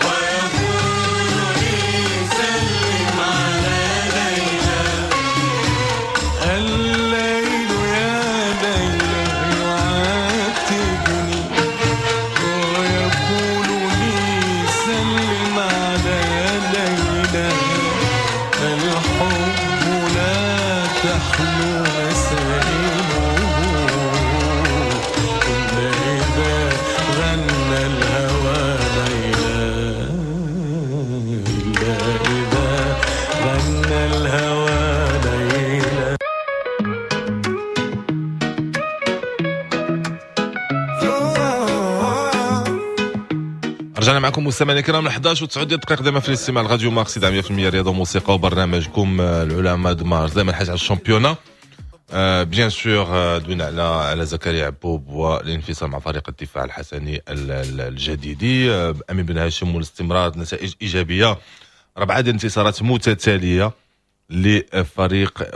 ويقول لي سلم على ليلى، الليل يا ليلى يعاتبني ويقول لي سلم على ليلى، الحب لا تحلو نسائمه إلا إذا غنى الهوى ليلى، إلا إذا غنى الهوى ليلى. رجعنا معكم مستمعينا الكرام 11 و9 دقائق دائما في الاستماع لراديو مارس 100% رياضة وموسيقى وبرنامجكم العلماء د مارس. دائما الحاجة على ال championnat، bien sûr دوينا على زكريا عبوب والانفصال مع فريق الدفاع الحسني الجديدي، امين بن هاشم والاستمرار نتائج ايجابية، 4 ديال الانتصارات متتالية لفريق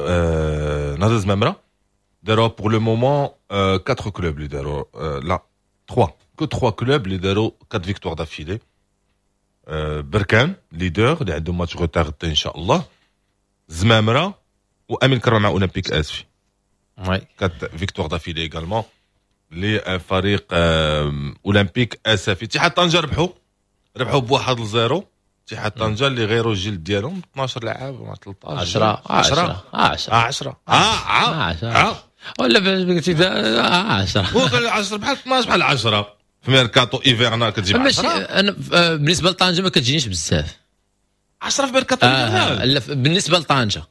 نهضة زمامرة. داروا pour le moment 4 clubs اللي داروا، لا 3 que 3 clubs اللي داروا 4 victoires d'affilée. بركان leader اللي عندهم match retard ان شاء الله، زمامرة وامين كرم مع اولمبيك اسفي، 4 victoires d'affilée également لفريق اولمبيك اسفي. اتحاد طنجه ربحوا ب1-0. اتحاد طنجه اللي غيروا الجلد ديالهم 12 لاعب ولا 13 10 10 10 10 ولا قلتي 10 10 بحال 12 بحال 10 في mercato hivernal كتجيب 10. انا بالنسبة لطنجه ما كتجينيش بزاف 10 في mercato hivernal. لا بالنسبة لطنجه،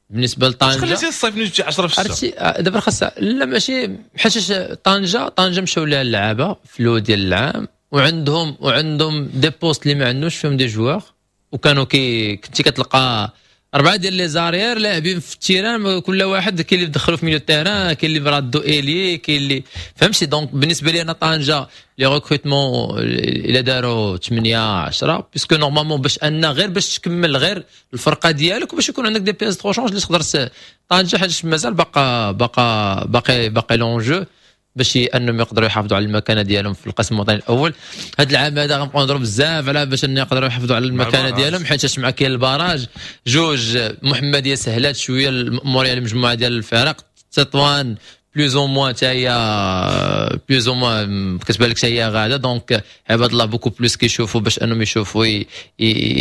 بالنسبة لطنجه خليتي الصيف نجيب 10 في الشتاء. عرفتي دابا خاصها لا ماشي حيت طنجه مشاو لها اللعابه في الاول ديال العام وعندهم des postes اللي ما عندهمش فيهم des joueurs، وكانوا كنتي كتلقى اربعة ديال les arrières لاعبين في ال terrain، كل واحد كاين اللي دخلوا في milieu terrain، كاين اللي رادو ailier، كاين اللي فهمتي. donc بالنسبة لي انا طنجه les recrutements الا داروا 8 10، puisque normalement باش ان غير باش تكمل غير الفرقة ديالك وباش يكون عندك des pièces de rechange اللي تقدر طنجه، حيت مازال باقا باقا باقي باقي l'enjeu باش انهم يقدروا يحافظوا على المكانة ديالهم في القسم الوطني الاول. هذا العام هذا غنبقاو نهضروا بزاف على باش ان يقدروا يحافظوا على المكانة ديالهم، حيت مع كاين ال barrage جوج، محمديه سهلات شوية المأموريه المجموعة ديال الفرق، تطوان plus ou moins حتى هي plus ou moins كتبان لك هي غاده. donc عباد الله beaucoup plus كيشوفوا باش انهم يشوفوا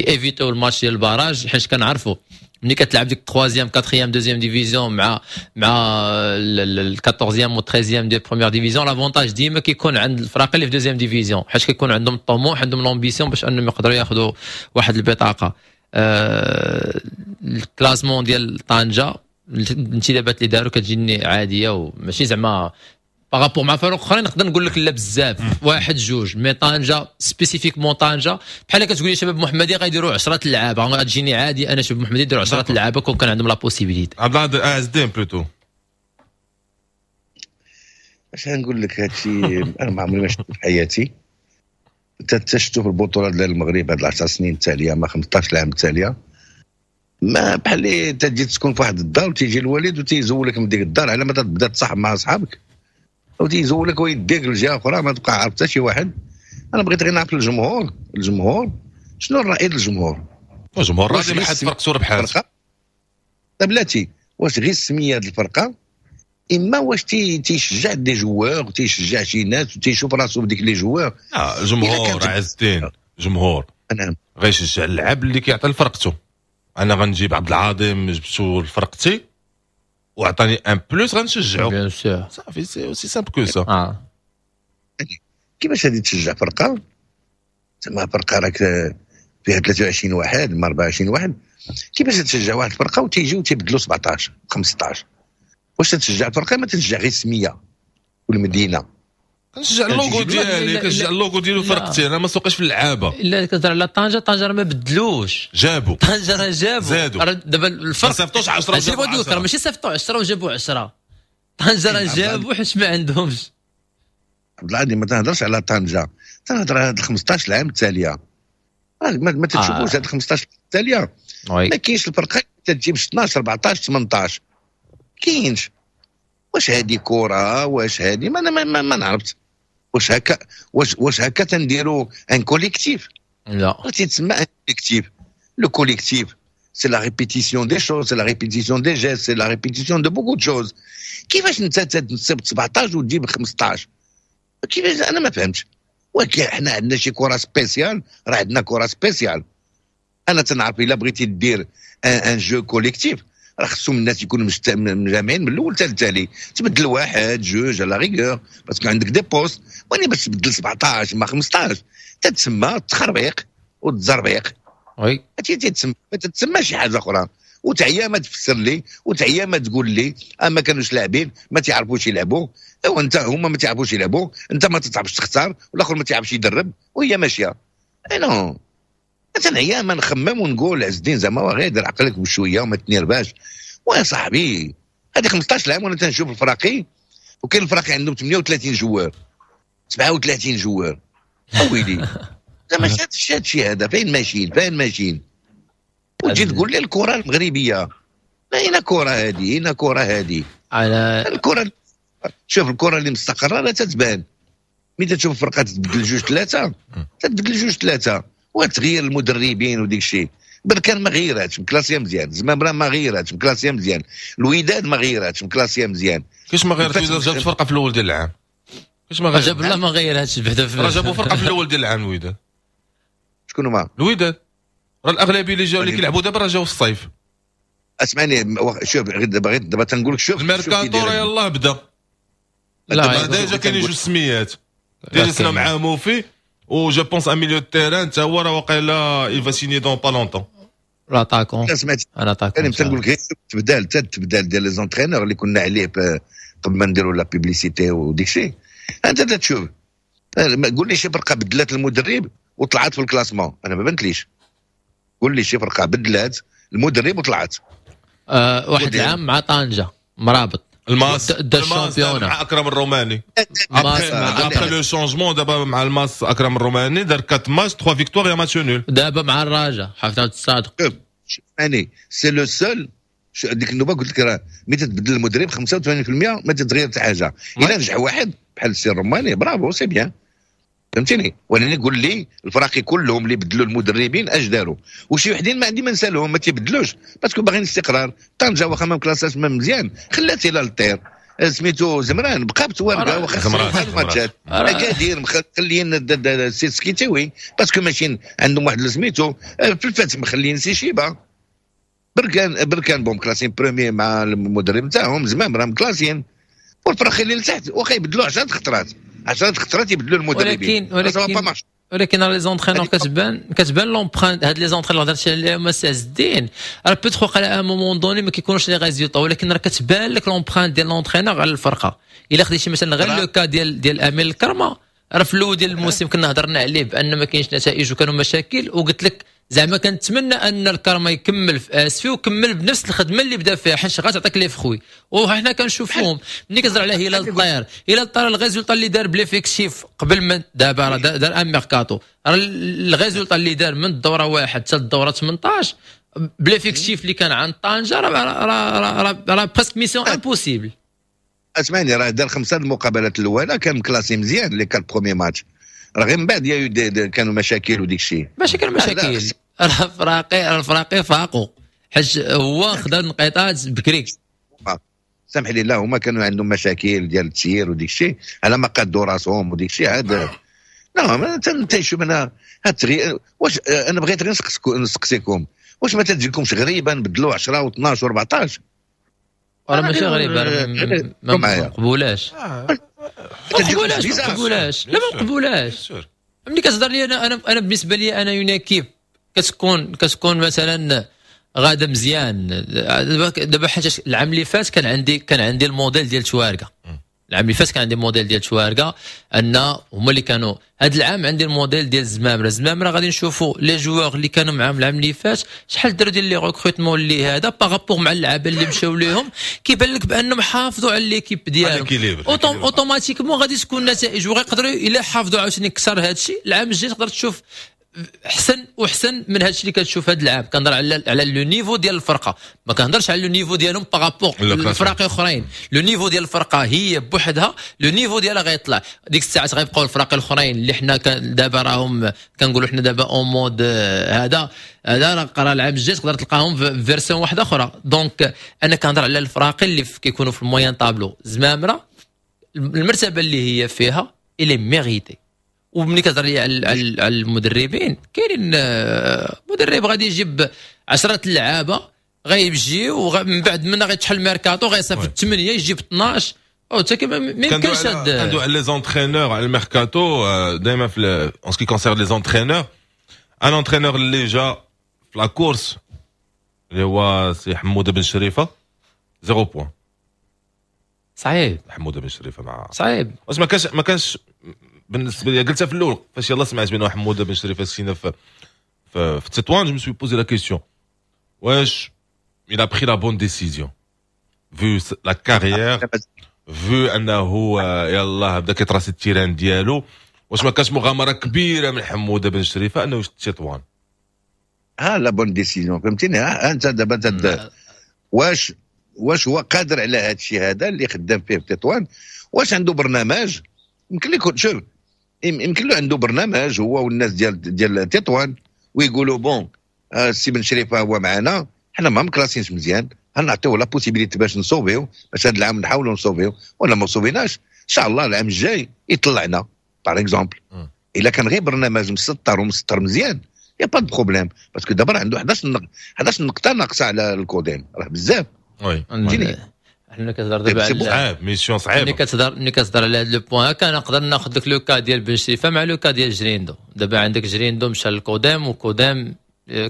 éviter الماتش ديال ال barrage، حيت كنعرفوا ملي كتلعب ديك 3 4 2 division مع ال 14 و 13 ديال première division، l'avantage ديما كيكون عند الفرق اللي في deuxième division، حيت كيكون عندهم الطموح، عندهم l'ambition باش انهم يقدروا ياخذوا واحد البطاقه. ال classement ديال طنجه، الانتدابات اللي داروا كتجيني عادية وماشي زعما par rapport مع فرق اخرين نقدر نقول لك لا بزاف، واحد جوج، mais طنجه spécifiquement طنجه بحال كتقول لي شباب محمدي غيديروا 10 لعابه، غتجيني عادي انا شباب محمدي يديروا 10 لعابه كون كان عندهم la possibilité. عبد العزيز، عز الدين plutôt. اش غنقول لك؟ هادشي انا ما عمري ما شفت في حياتي. تشتو في البطولة ديال المغرب هاد 10 سنين التاليه، ما 15 عام التاليه، ما بحال اللي تجي تسكن في واحد الدار وتيجي الوالد وتيزولك من ديك الدار على ما تبدا تصاحب مع اصحابك، وتيزولك ويديك لجهة اخرى ما تبقى عارف حتى شي واحد. انا بغيت غير نعرف الجمهور، الجمهور شنو الراي ديال الجمهور؟ الجمهور راضي، ما حد فرقته ربحات. بلاتي، واش غير السمية ديال الفرقه، اما واش تيشجع des joueurs، تيشجع شي ناس وتيشوف راسو بديك les joueurs؟ لا، الجمهور عز الدين، جمهور غيشجع اللعب اللي كيعطي لفرقته. انا غنجيب عبد العظيم، جبتو لفرقتي وعطاني un plus، غنشجعو. bien sûr. صافي، c'est aussi simple que ça. كيفاش غادي تشجع فرقه تما فرقه راك فيها 23 واحد ما 24 واحد؟ كيفاش تشجع واحد الفرقة وتيجيو تيبدلوا 17 15؟ واش تشجع الفرقه؟ ما تشجع غير السمية والمدينه. كنشجع اللوغو ديالي، كنشجع اللوغو ديالو فرقتي، انا ما سوقيش في اللعابه. الا كتهضر على طنجه، طنجه راه ما بدلوش. جابوا. طنجه راه جابوا. زادوا. دابا الفرق ما صيفطوش 10. وجابوا. ماشي صيفطوا 10 وجابوا 10، طنجه راه جابوا حيت ما عندهمش. عبد العظيم، ما تهضرش على طنجه، تنهضر على هاد 15 عام التاليه. ما تشوفوش هاد 15 التالية ما كاينش الفرقة تجيب 16 14 18، كاينش. واش هادي كره؟ واش هادي ما ما, ما, ما نعرفت واش هكا تنديروا un collectif؟ لا. تيتسمى un collectif؟ le collectif c'est la répétition des choses، c'est la répétition des gestes، c'est la répétition de beaucoup de choses. كيفاش انت تصيب 17 وتجيب 15؟ كيفاش؟ انا ما فهمتش. ولكن حنا عندنا شي كره spéciale؟ راه عندنا كره spéciale. انا تنعرف الا بغيتي دير un jeu collectif راه خصهم الناس يكونوا مجامعين من الاول حتى التالي، تبدل واحد جوج à la rigueur parce que عندك des postes، ولكن باش تبدل 17 ما 15 تتسمى التخربيق والتزربيق. هادشي تتسمى، ما تتسمى شي حاجة اخرى. وتعيا ما تفسر لي وتعيا ما تقول لي ما كانوش لاعبين، ما تعرفوش يلعبوا. وانت هما ما تعرفوش يلعبوا، انت ما تعرفش تختار، والاخر ما تعرفش يدرب، وهي ماشيه. اي non، مثلا ما نخمم ونقول عز الدين زعما غير دير عقلك بشوية وما تنرفاش. ويا صاحبي، هذه 15 عام وانا تنشوف الفراقي، وكاين الفراقي عندهم 38 joueurs، 37 joueurs. اويلي، زعما شاد شي هذا، فين ماشيين؟ فين ماشيين؟ وتجي تقول لي الكره المغربيه، ما هنا كره هذه، هنا كره هذه. على الكره، شوف الكره اللي مستقره لا تتبان ملي تشوف فرقه تبدل جوج ثلاثه، تتبدل جوج ثلاثة وتغير المدربين وديك الشيء. بركان ما غيراتش، مكلاسيه مزيان. زمامرة ما غيراتش، مكلاسيه مزيان. الوداد ما غيراتش، مكلاسيه مزيان. كيفاش ما غيرت؟ الوداد جابت فرقه في الاول ديال العام، كيفاش ما غيرت؟ جاب الله ما غيرهاش بعدا. راه جابوا فرقه في الاول ديال العام الوداد. شكون هما؟ الوداد راه الاغلبية اللي جاو اللي كيلعبوا دابا راه جاو في الصيف. اسمعني، شوف غير دابا، غير دابا تنقول لك، شوف. الميركاتو راه يلاه بدا. لا. déjà كاينين جوج سميات، déjà سنا مع موفي و je pense un milieu terrain تا هو راه واقيلا il va signer dans pas longtemps. l'attaquant. سمعت. انا attaquant. انا تنقول لك غير تبدال، حتى التبدال ديال les entraîneurs اللي كنا عليه قبل ما نديروا la publicité وديك الشيء. انت تشوف، قول لي شي فرقه بدلات المدرب وطلعت في ال classement، انا ما بنتليش. قول لي شي فرقه بدلات. المدرب وطلعت. واحد العام مع طنجه مرابط. الماس. دا الماس ال championnat. مع اكرم الروماني. مع après le changement دابا مع الماس، اكرم الروماني دار 4 ماتش، 3 victoires، match nul. دابا مع الرجاء حافظ الصادق. شوف يعني c'est le seul ديك النوبة قلت لك راه ملي تتبدل المدرب 85% ما تتغير حتى حاجه. الا نجح واحد بحال السي الروماني، bravo، c'est bien، فهمتيني؟ ولكن قول لي الفراقي كلهم اللي بدلوا المدربين اش داروا؟ وشي وحدين ما عندي ما نسالهم، ما تيبدلوش parce que باغيين استقرار. طنجه واخا ما مكلاساش ما مزيان، خلات الى الطير سميتو زمران بقى بتوارقه واخا زمران، خسروا الماتشات. اكادير مخليين السي سكيتاوي parce que ماشيين عندهم واحد سميتو. في الفتح مخليين سي شيبا. بركان، بركان bon مكلاسين premier مع المدرب نتاعهم. زمام راه مكلاسين. والفرق اللي لتحت واخا يبدلوا 10 خطرات، 10 خطرات يبدلوا المدربين، ولكن ولكن راه les entraîneurs كتبان l'empreinte. هاد les entraîneurs هضرتي عليهم السي عز الدين، راه peut-être وقع à un moment donné ما كيكونوش les résultats، ولكن راه كتبان لك l'empreinte ديال l'entraîneur على الفرقه. الا خديتي مثلا غير le cas ديال امين الكرمه، راه في الاول ديال الموسم كنا هضرنا عليه بان ما كاينش نتائج وكانوا مشاكل، وقلت لك زعما كنتمنى ان الكرمة يكمل في اسفي وكمل بنفس الخدمة اللي بدا فيها، حيت غتعطيك les fruits وحنا كنشوفوهم. ملي كتهضر على هلال الطير، هلال الطير ال résultat اللي دار ب l'effectif قبل من دابا، راه دار un mercato. راه ال résultat اللي دار من الدورة 1 حتى الدورة 18 ب l'effectif اللي كان عند طنجه، راه presque mission impossible. اسمعني، راه دار خمسة المقابلات الاولى كان مكلاسي مزيان، les quatre premiers matchs. راه غير من بعد y a eu كانوا مشاكل وديك الشيء. ماشي كانوا مشاكل، راه الفراقي فاقوا حيت هو خدا النقيطات بكري. سامح لي، لا، هما كانوا عندهم مشاكل ديال التسيير وديك الشيء على ما قادوا راسهم وديك الشيء عاد. لا ما انت شوف انا هاد التغيير، واش انا بغيت غير نسقسيكم، واش ما تجيكمش غريبة نبدلوا 10 و12 و14؟ راه ماشي غريبه، راه ما مقبولاش، ما مقبولاش، ما مقبولاش، لا ما مقبولاش. ملي كتهضر لي انا بالنسبة لي انا une équipe كتكون مثلا غاده مزيان. دابا حاجة العام اللي فات كان عندي الموديل ديال تواركه. العام اللي فات كان عندي موديل ديال تواركه ان هما اللي كانوا. هذا العام عندي الموديل ديال الزمامره. الزمامره غادي نشوفوا les joueurs اللي كانوا معاهم العام اللي فات شحال داروا ديال les recrutements اللي هذا par rapport مع اللعابه اللي مشاو ليهم، كيبان لك بانهم حافظوا على l'équipe ديالهم، automatiquement غادي تكون نتائج. وغيقدروا الا حافظوا عاوتاني اكثر هذا الشيء، العام الجاي تقدر تشوف احسن واحسن من هذا الشيء اللي كتشوف هذا العام. كنهضر على le niveau ديال الفرقه، ما كنهضرش على le niveau ديالهم par rapport الفرق اخرين. le niveau ديال الفرقة هي بوحدها، le niveau ديالها غيطلع. ديك الساعات غيبقاو الفرق الاخرين اللي حنا دابا راهم كنقولوا حنا دابا en mode هذا راه قرا العام الجاي تقدر تلقاهم في version واحدة اخرى. donc انا كنهضر على الفراقي اللي كيكونوا في ال moyen tableau. زمامرة المرتبة اللي هي فيها elle est méritée. وملي كتهضر لي على المدربين، كاينين مدرب غادي يجيب 10 اللعابه غيجي ومن بعد من غيتحل ميركاتو غيصيفط 8، يجيب 12، او حتى ما يمكنش. هاد كندوي على les entraîneurs، على الميركاتو دائما. في en ce qui concerne les entraîneurs، un entraîneur اللي جا في la course اللي هو سي حموده بن شريفه، zéro point. صعيب. حموده بن شريفه مع صعيب. واش ما كانش بالنسبة لي، قلتها في الاول، فاش يلاه سمعت بان حموده بن شريفه سينا في تطوان، je me suis posé la question واش il a pris la bonne décision vu la carrière، vu انه يلاه بدا كيتراسي ال terrain ديالو؟ واش ما كانش مغامرة كبيرة من حموده بن شريفه انه يشد تطوان؟ ها la bonne décision، فهمتيني؟ ها انت دابا واش هو قادر على هذا الشيء هذا اللي خدام فيه في تطوان؟ واش عنده برنامج؟ يمكن لك شوف، يمكن له عنده برنامج هو والناس ديال تطوان ويقولوا bon، السي بن شريفه هو معنا، حنا ما مكلاسينش مزيان، نعطيو la possibilité باش نصوفيو، باش هذا العام نحاولوا نصوفيو، ولا ما صوفيناش ان شاء الله العام الجاي يطلعنا par exemple. الا كان غير برنامج مسطر ومسطر مزيان، y a pas de problème، parce que دابا عنده 11 نقطة ناقصه على الكوديم، راه بزاف. oui. فهمتيني؟ حنا كتهضر دابا على صعيب، mission صعيبه. ملي كتهضر على هذا le point هكا، نقدر ناخذ لك le cas ديال بن شريفه مع le cas ديال جريندو. دابا عندك جريندو مشى للكوديم، وكوديم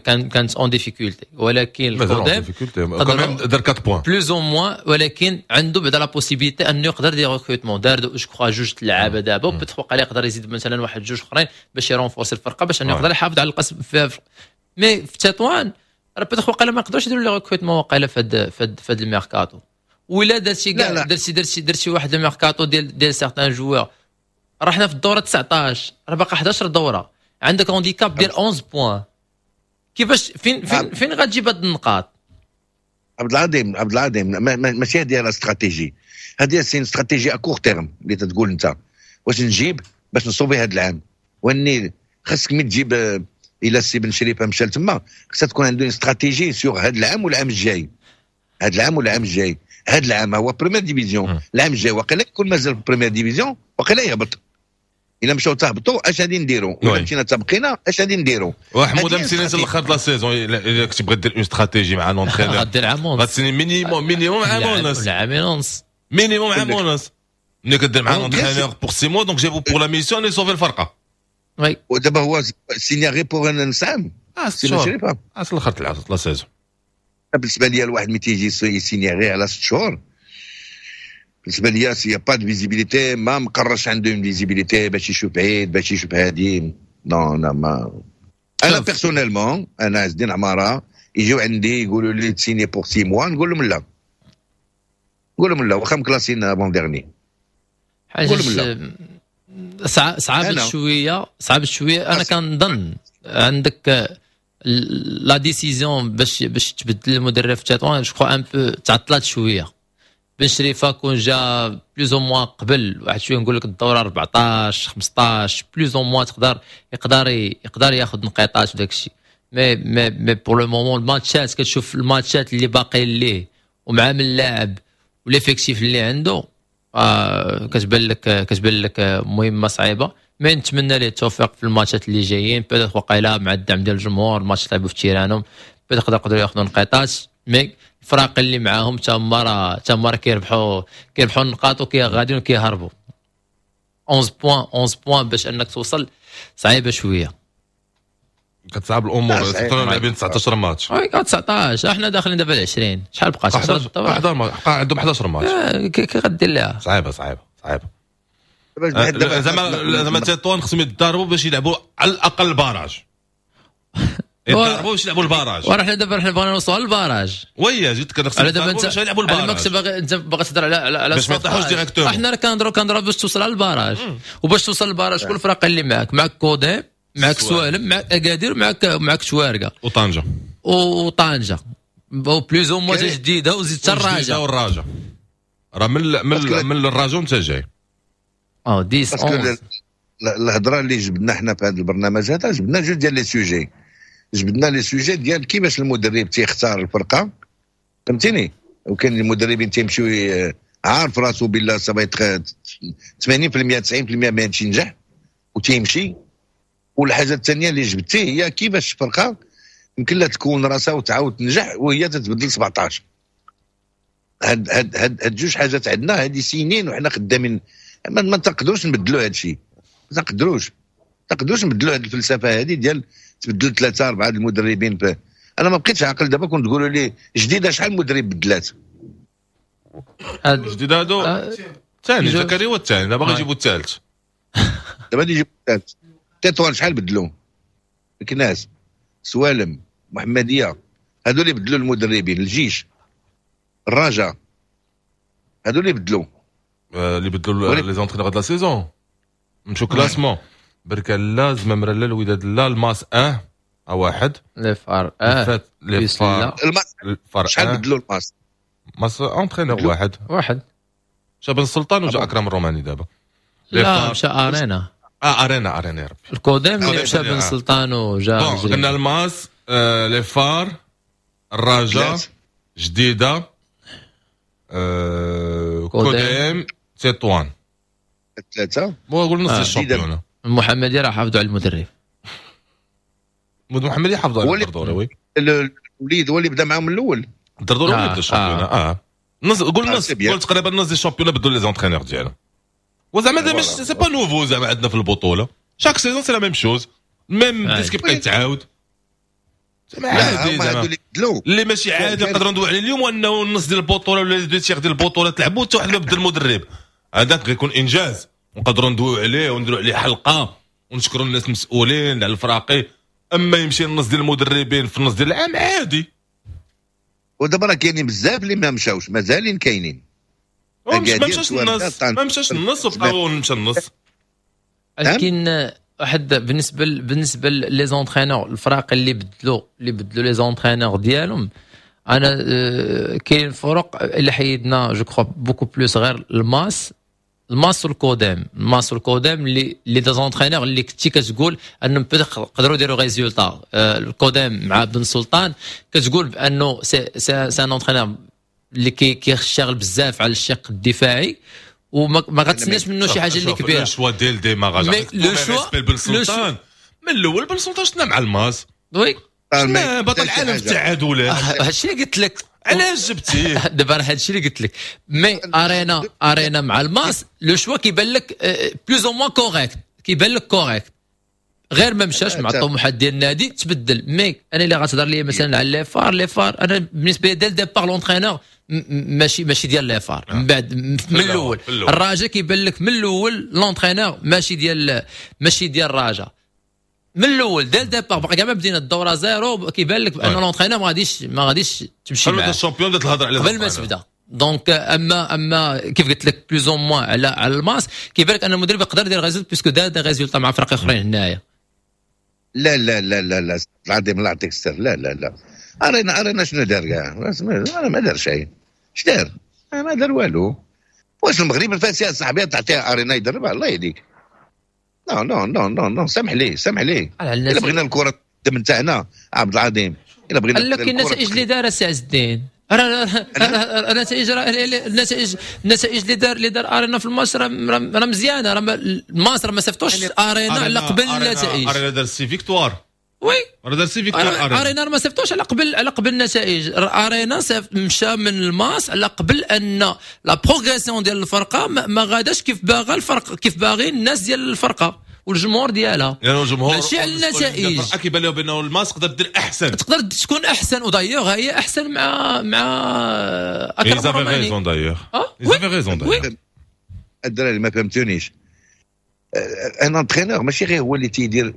كانت en difficulté، ولكن الكوديم دار 4 points. plus ou moins، ولكن عنده بعدا la possibilité انه يقدر des recrutements. دار je crois جوج لعابه دابا، وبتفوق عليه يقدر يزيد مثلا واحد جوج اخرين باش يرونفورسي الفرقه، باش انه يقدر يحافظ على القسم. mais في تطوان راه peut-être وقيلا ما يقدروش يديروا les recrutements وقيلا في هاد الميركاتو، ولا درتي كاع درتي واحد الميركاتو ديال certains joueurs. راه حنا في الدورة 19، راه باقي 11 دوره، عندك handicap ديال 11 points. كيفاش فين فين فين غتجيب هاد النقاط؟ عبد العظيم، عبد العظيم، ماشي هذه la stratégie، هذه c'est stratégie à court terme اللي تتقول انت واش نجيب باش نصوفي هذا العام. واني خاصك ملي تجيب، الى السي بن شريفه مشى لتما، خاصها تكون عنده stratégie sur هذا العام والعام الجاي، هذا العام والعام الجاي. هذا العام هو première division، العام الجاي وقيلا يكون مازال في première division، وقيلا يهبط. الا مشاو تهبطوا اش غادي نديروا؟ ولا مشينا تبقينا اش غادي نديروا؟ وحموده مسينا الاخر la saison، الا كنت بغيت دير une stratégie مع l'entraîneur غدير عام ونص. غتسيني minimum عام ونص. عامين ونص. minimum عام ونص. ملي كدير مع l'entraîneur pour 6 mois، donc جابو pour la mission يصوفي الفرقه. oui. ودابا هو سينيا غير pour نص عام. اه، 6 شهور الاخر تلعب la saison. بالنسبة لي الواحد ملي تيجي يسيني غير على 6 شهور، بالنسبة ليا s'il y a pas de visibilité، ما مقرش عنده une visibilité باش يشوف بعيد، باش يشوف هادي. non non، ما انا personnellement، انا عز الدين عمارة يجيو عندي يقولوا لي تسيني pour 6 mois، نقول لهم لا، نقول لهم لا، واخا مكلاسين avant-dernier. حاجة صعبت شويه، صعبت شويه. انا كنظن عندك la décision باش تبدل المدرب في تطوان، je crois un peu تعطلات شويه. بن شريفه كون جا plus ou moins قبل واحد شويه، نقول لك الدورة 14 15 plus ou moins، تقدر يقدر ياخذ نقيطات وداك الشيء. mais pour le moment الماتشات، كتشوف الماتشات اللي باقيين ليه ومع من اللاعب و l'effectif اللي عنده، كتبان لك مهمة صعيبه. mais نتمنى ليه التوفيق في الماتشات اللي جايين. peut-être وقيلا مع الدعم ديال الجمهور، الماتش لعبوا في تيرانهم، peut-être يقدروا ياخذوا نقيطات. mais الفرق اللي معاهم تما راه كيربحوا النقاط وكي غاديين وكيهربوا. 11 points، 11 points باش انك توصل صعيبة شويه. كتصعب الامور، لاعبين 19 ماتش. oui، 19، احنا داخلين دابا 20، شحال بقات؟ 11، 11 عندهم 11 ماتش. كي غدير لها؟ صعيبة صعيبة صعيبه. زعما تطوان خصهم يتضاربوا باش يلعبوا على الاقل ال barrage، يتضاربوا باش يلعبوا ال barrage. وراه دابا حنا بغينا نوصلوا لل barrage. oui، جيت كنخصهم دابا انت باش يلعبوا ال barrage. باغي انت باغي تهضر على باش ما يطيحوش directement. حنا كنهضروا باش توصل على ال barrage، وباش توصل لل barrage شكون الفرق اللي معاك؟ معاك كوديم، معاك سوالم، معاك اكادير، معاك توارقه. وطنجه. وطنجه plus ou moins جديده، وزيد حتى الرجاء. والرجاء راه من الرجاء انت جاي. اه، 10، 11. الهضرة اللي جبدنا حنا في هذا البرنامج هذا، جبدنا جوج ديال les sujets. جبدنا les sujets ديال كيفاش المدرب تيختار الفرقه، فهمتيني؟ وكاين المدربين تيمشيو عارف راسو بلا ça va 80% 90% ما ينجح وتيمشي. والحاجة الثانية اللي جبتي هي كيفاش الفرقة يمكن لها تكون راسها وتعاود تنجح وهي تتبدل 17. هاد جوج حاجات عندنا هادي سنين وحنا خدامين، ما تقدروش نبدلوا هاد الشيء، ما تقدروش نبدلوا هاد الفلسفة هذه ديال تبدل ثلاثة اربعة المدربين. انا ما بقيتش عاقل دابا، كنت تقولوا لي جديدة شحال مدرب بدلات. جديد هادو الثاني، زكريا هو الثاني، دابا غيجيبوا الثالث. دابا يجيبوا الثالث. تطوان شحال بدلوا؟ مكناس، سوالم، محمديه، هادو اللي بدلوا المدربين، الجيش، الرجاء، هادو اللي بدلوا. اللي بدلوا les entraîneurs de la saison. نمشيو classement: بركان لا، زمامرة لا، الوداد لا، الماس 1 واحد. les FAR les FAR. الماس شحال بدلوا الماس؟ ماس entraîneur واحد. واحد. مشى بن السلطان وجا اكرم الروماني دابا. لا، مشى ارينا. اه، ارينا ارينا يا ربي. الكوديم اللي مشى بن سلطان وجا. bon، قلنا الماس، les FAR، الرجاء، جديده، كوديم، تطوان. ثلاثه. قول نص ال championnat. المحمدية راه حافظوا على المدرب. المحمدية حافظوا على الدردوري، oui. الوليد هو اللي بدا معاهم الاول. الدردوري هو اللي بدا ال championnat. نص، قول نص، قول تقريبا نص ال championnat بدلوا les entraîneurs ديالهم. وزعما مش c'est pas nouveau، زعما عندنا في البطولة chaque saison c'est la même chose، même disque كيبقى يتعاود. زعما عادي، زعما اللي ماشي عادي نقدروا ندوي عليه اليوم انه النص ديال البطولة ولا deux tiers ديال البطولة تلعبوا حتى واحد ما بدل المدرب. هذاك غيكون انجاز ونقدروا ندويو عليه ونديروا عليه حلقة ونشكروا الناس المسؤولين على الفراقي. اما يمشي النص ديال المدربين في النص ديال العام عادي. ودابا راه كاينين بزاف اللي ما مشاوش، مازالين كاينين. ما مشاش النص، ما مشاش النص وبقاو مشى النص. ولكن واحد بالنسبة les entraîneurs، الفرق اللي بدلوا les entraîneurs ديالهم، انا كاين فرق اللي حيدنا je crois beaucoup plus غير الماس والكودام، الماس والكودام اللي des entraîneurs اللي كنتي كتقول انهم يقدروا يديروا résultat. الكودام مع بن سلطان كتقول بانه c'est un entraîneur اللي كيشتغل بزاف على الشق الدفاعي وما غتسناش منه شي حاجة اللي كبيره. le choix ديال démarrage، le choix بن سلطان من الاول، بن سلطان شفنا مع الماس oui. بطل العالم في التعادلات. هادشي اللي قلت لك. علاش جبتيه؟ دابا هادشي اللي قلت لك، mais ارينا مع الماس le choix كيبان لك plus ou moins correct، كيبان لك correct، غير ما مشاش مع الطموحات ديال النادي تبدل. mais انا اللي غتهضر لي مثلا على les FAR، les FAR انا بالنسبة لي dès le départ l'entraîneur ماشي ديال les FAR. من بعد من الاول الراجا كيبان لك من الاول l'entraîneur ماشي ديال الراجا من الاول، dès le départ، باقي كاع ما بدينا الدورة zéro كيبان لك بان l'entraîneur ما غاديش تمشي معاه. ال champion بدات الهضرة على قبل ما تبدا. donc اما كيف قلت لك plus ou moins على الماس كيبان لك ان المدرب يقدر يدير résultat puisque دار des résultats مع فرق اخرين هنايا. لا لا لا لا لا، العظيم الله يعطيك السر، لا لا لا، ارينا ارينا شنو دار كاع؟ انا ما دار شيء. اش دار؟ ما دار والو. واش المغرب الفاسي صاحبي تعطيها ارينا يدربها؟ الله يهديك، non non non non non، سامح لي، سامح لي. الا بغينا الكره نتاعنا عبد العظيم، الا بغينا لكن النتائج اللي دار السي عز الدين، النتائج اللي دار ارينا في الماتش راه مزيانه، راه الماس راه ما صيفطوش ارينا على قبل النتائج. ارينا دار six victoires. oui. راه دار six victoires. ارينا ما صيفطوش على قبل النتائج. ارينا مشى من الماس على قبل ان la progression ديال الفرقة ما غاداش كيف باغا الفرق، كيف باغي الناس ديال الفرقة والجمهور ديالها. يعني الجمهور ماشي على النتائج. كيبان لهم بانه الماس تقدر دير احسن. تقدر تكون احسن، و d'ailleurs هي احسن مع اكرم روماني. raison d'ailleurs، ils avaient raison d'ailleurs. الدراري ما فهمتونيش، un entraîneur ماشي غير هو اللي تيدير،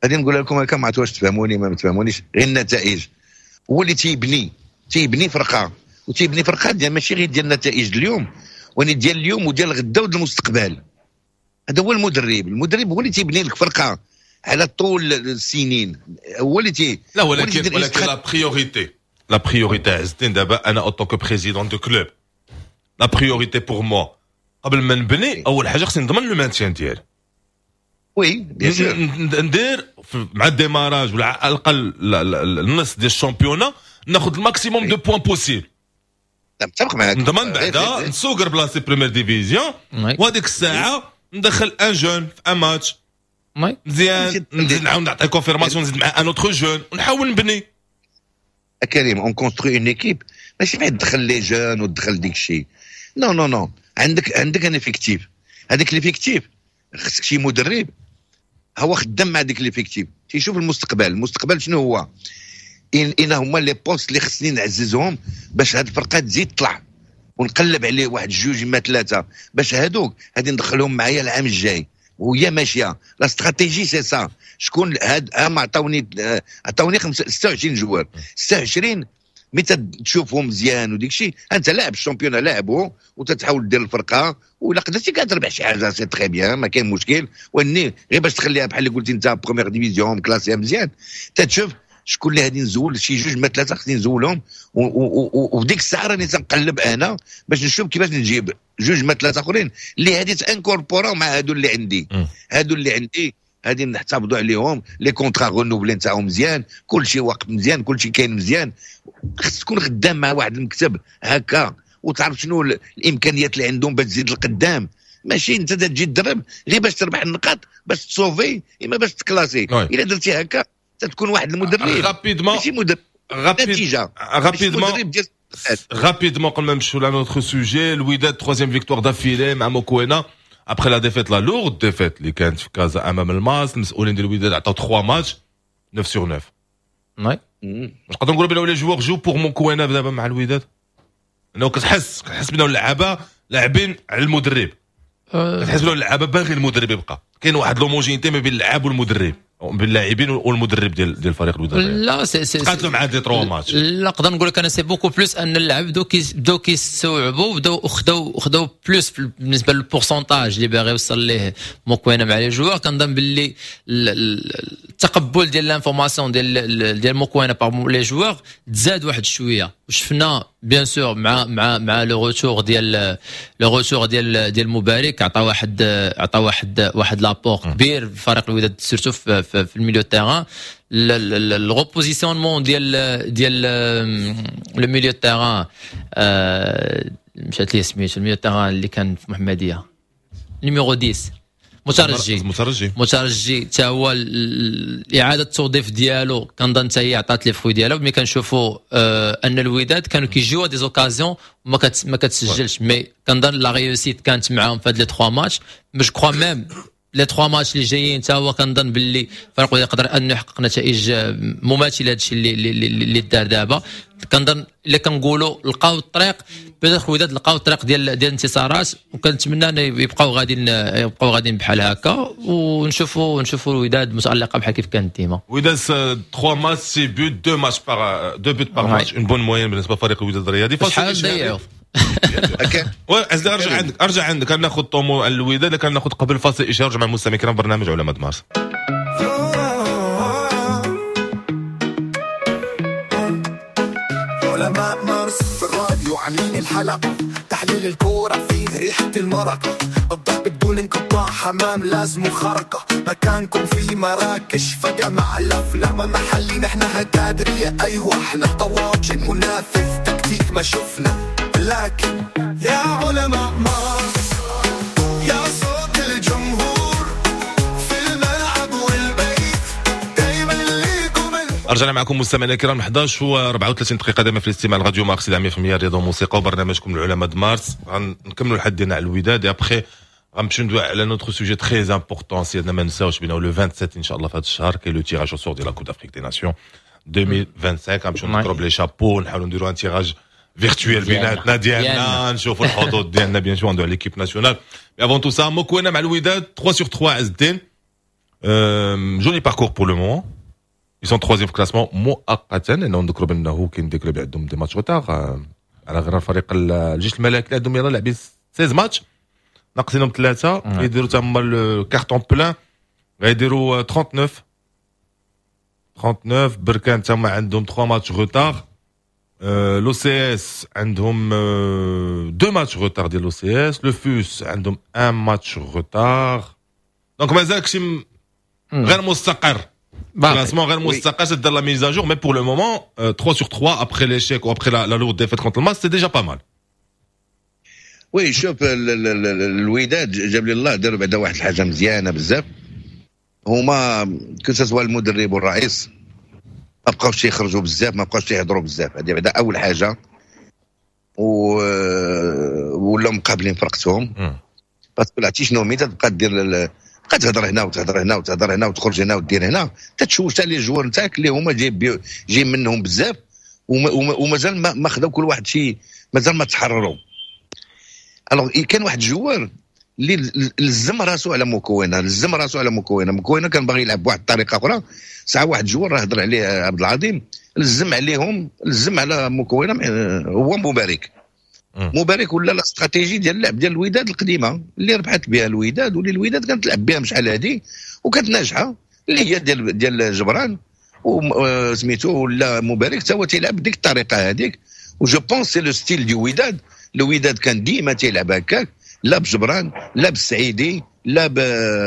غادي نقول لكم هكا ما عرفتش واش تفهموني ما تفهمونيش، غير النتائج. هو اللي تيبني فرقه، وتيبني فرقه ديال ماشي غير ديال النتائج اليوم، ولكن ديال اليوم وديال غدا وديال المستقبل. هذا هو المدرب. المدرب هو اللي تيبني لك فرقه على طول السنين، هو اللي تي لا، ولكن la priorité عز الدين، دابا انا en tant que président de club، la priorité pour moi قبل ما نبني، اول حاجة خصني نضمن le maintien ديالي. oui، bien sûr. ندير مع ال démarrage ولا على الاقل النص ديال ال championnat ناخذ ال maximum de points possible. متفق معاك. نضمن بعدا نسوقر بلاصتي première division، وهذيك الساعة ندخل un jeune في un match مزيان، نزيد نعاود نعطي confirmation، نزيد مع un autre jeune ونحاول نبني. كريم، on construit une équipe، ماشي بعد تدخل les jeunes وتدخل ديك الشيء. non non non، عندك un effectif، هذاك l'effectif خصك شي مدرب هو خدام مع ديك l'effectif، تيشوف المستقبل. المستقبل شنو هو؟ إن هما les postes اللي خصني نعززهم باش هاد الفرقة تزيد تطلع، ونقلب عليه واحد جوج ما ثلاثة باش هادوك غادي ندخلهم معايا العام الجاي وهي ماشية. la stratégie c'est ça. شكون هاد هما؟ عطاوني 26 joueurs، 26 mais تشوفهم مزيان وديك الشيء. انت لاعب ال championnat لاعبه وتتحاول دير الفرقه، ولا قدرتي كتربح شي حاجة c'est très bien، ما كاين مشكل. واني غير باش تخليها بحال اللي قلتي انت première division classée مزيان، تتشوف شكون اللي غادي نزول، شي جوج ما ثلاثة خصني نزولهم، وفي ديك الساعة راني تنقلب انا باش نشوف كيفاش نجيب جوج ما ثلاثة اخرين اللي غادي ت incorporer او مع هادو اللي عندي. هادو اللي عندي غادي نحتفظوا عليهم، les contrats renouvelés نتاعهم مزيان، كل شيء واقف مزيان، كل شيء كاين مزيان. خص تكون خدام مع واحد المكتب هكا وتعرف شنو الامكانيات اللي عندهم باش تزيد القدام، ماشي انت تجي تدرب غير باش تربح النقاط باش ت sauver اما باش ت classer. الا درتي هكا تكون واحد المدرب rapidement ماشي مدرب نتيجه. rapidement rapidement قبل ما نمشيو ل notre sujet، الوداد troisième victoire d'affilée مع موكوينا après la défaite، la lourde défaite اللي كانت في كازا امام الماس. المسؤولين ديال الوداد عطاو 3 ماتش 9 sur 9. oui. نقدر نقولوا بان les joueurs jouent pour موكوينا دابا مع الوداد، انه كتحس بان اللعابه لاعبين على المدرب، كتحس بان اللعابه باغي المدرب يبقى، كاين واحد l'homogénéité ما بين اللعاب والمدرب. باللاعبين والمدرب ديال فريق الوداد؟ لا، c'est تقاتلوا مع des trois matchs. لا، نقدر نقول لك انا c'est beaucoup plus ان اللعب بداو كيستوعبوا، بداو خداو plus بالنسبة لل pourcentage اللي باغي يوصل ليه موكوينه مع les joueurs. كنظن باللي التقبل ديال l'information ديال موكوينه par les joueurs تزاد واحد شويه، وشفنا bien sûr مع le retour ديال مبارك عطى واحد l'apport كبير في فريق الوداد، surtout في ال milieu terrain، ال repositionnement ديال le milieu terrain. مشات لي سميتو، ال milieu terrain اللي كان في محمديه، numéro 10، مترجي. مترجي. مترجي حتى هو اعاده التوظيف ديالو كنظن حتى هي عطات les fruits ديالها. ملي كنشوفوا ان الوداد كانوا كيجيو des occasions وما كتسجلش، mais كنظن la réussite كانت معاهم في هاد les 3 matchs. je crois même les 3 ماتش اللي جايين حتى هو كنظن باللي فريق يقدر انه يحقق نتائج مماثلة لهادشي اللي دار دابا. كنظن الا كنقولوا لقاو الطريق، peut-être الوداد لقاو الطريق ديال الانتصارات، وكنتمنى ان يبقاو غاديين بحال هكا ونشوفوا الوداد متالقه بحال كيف كانت ديما. وداد 3 ماتش، 6 buts، 2 matchs par 2 buts par match، une bonne moyenne بالنسبة لفريق الوداد الرياضي. شحال ضيعوا؟ ارجع عندك، ارجع عندك، كناخذ طومو على الوداد، كناخذ قبل فاصل اشهار مع المستمعين الكرام، برنامج علماء مارس. علماء مارس في الراديو عاملين الحلقة، تحليل الكورة فيه ريحة المرقة، الضرب بدون انقطاع، حمام لازم خرقة، مكانكم في مراكش فجأة مع الأفلام محلي، نحن هكادرية، أيوة احنا طواجن، منافذ تكتيك ما شفنا، لكن يا علماء مارس، يا صوت الجمهور في الملعب والبيت، دايما ليكم. رجعنا معكم مستمعينا الكرام، 11 و 34 دقيقة دائما في الاستماع لراديو مارس 100% رياضة وموسيقى وبرنامجكم العلماء د مارس. غنكملوا الحد ديالنا على الوداد، après غنمشيو ندوي على un autre sujet très important. سيادنا، ما نساوش بأنه le 27 ان شاء الله في هذا الشهر كاين le tirage au sort ديال la Coupe d'Afrique des Nations 2025. غنمشيو نضرب les chapeaux، نحاولوا نديروا un tirage virtuel بيناتنا ديالنا، نشوفوا الحظوظ ديالنا، bien sûr ندوي على l'équipe nationale. mais avant tout ça، موكوينا مع الوداد 3 sur 3، عز الدين، joli parcours pour le moment، ils sont troisième في classement مؤقتا، لانه نذكروا بانه كاين des clubs عندهم des matchs retard على غير فريق الجيش الملكي اللي عندهم يلاه لاعبين 16 ماتش، ناقصينهم ثلاثه، يديروا تما ال carton plein، غيديروا 39 39. بركان تما عندهم 3 matchs retard، l'OCS عندهم 2 matchs retard ديال l'OCS، le FUS عندهم 1 match retard، donc مازال شي غير مستقر، classement غير مستقر، c'est la mise à jour، mais pour le moment 3 sur 3 après l'échec ou après la lourde défaite contre le MAS، c'est déjà pas mal. oui، شوف، الوداد جاب لي الله داروا بعدا واحد الحاجة مزيانه بزاف، هما que ce soit المدرب والرئيس ما بقاوش يخرجوا بزاف، ما بقاوش يهضروا بزاف. هذه بعدا اول حاجه، و ولاو مقابلين فرقتهم، parce que عرفتي شنو، ملي تبقى دير، تبقى تهضر هنا وتهضر هنا وتهضر هنا وتخرج هنا ودير هنا، تتشوش حتى les joueurs نتاعك اللي هما جايب منهم بزاف ومازال ما خداو كل واحد شي، مازال ما تحرروا. alors كان واحد joueur اللي لزم راسو على مكونة لزم راسو على مكونه. مكونة كان باغي يلعب بواحد الطريقة اخرى، ساعة واحد joueur راه هضر عليه عبد العظيم، لزم عليهم، لزم على مكونة، هو مبارك. مبارك ولا la stratégie ديال اللعب ديال الوداد القديمة اللي ربحت بها الوداد واللي الوداد كانت تلعب بها شحال هادي وكانت ناجحه، اللي هي ديال جبران وسميتو. ولا مبارك حتى هو تيلعب بديك الطريقة هذيك، و je pense c'est le style du وداد. الوداد كان ديما تيلعب هكاك، لا بجبران لا بالسعيدي لا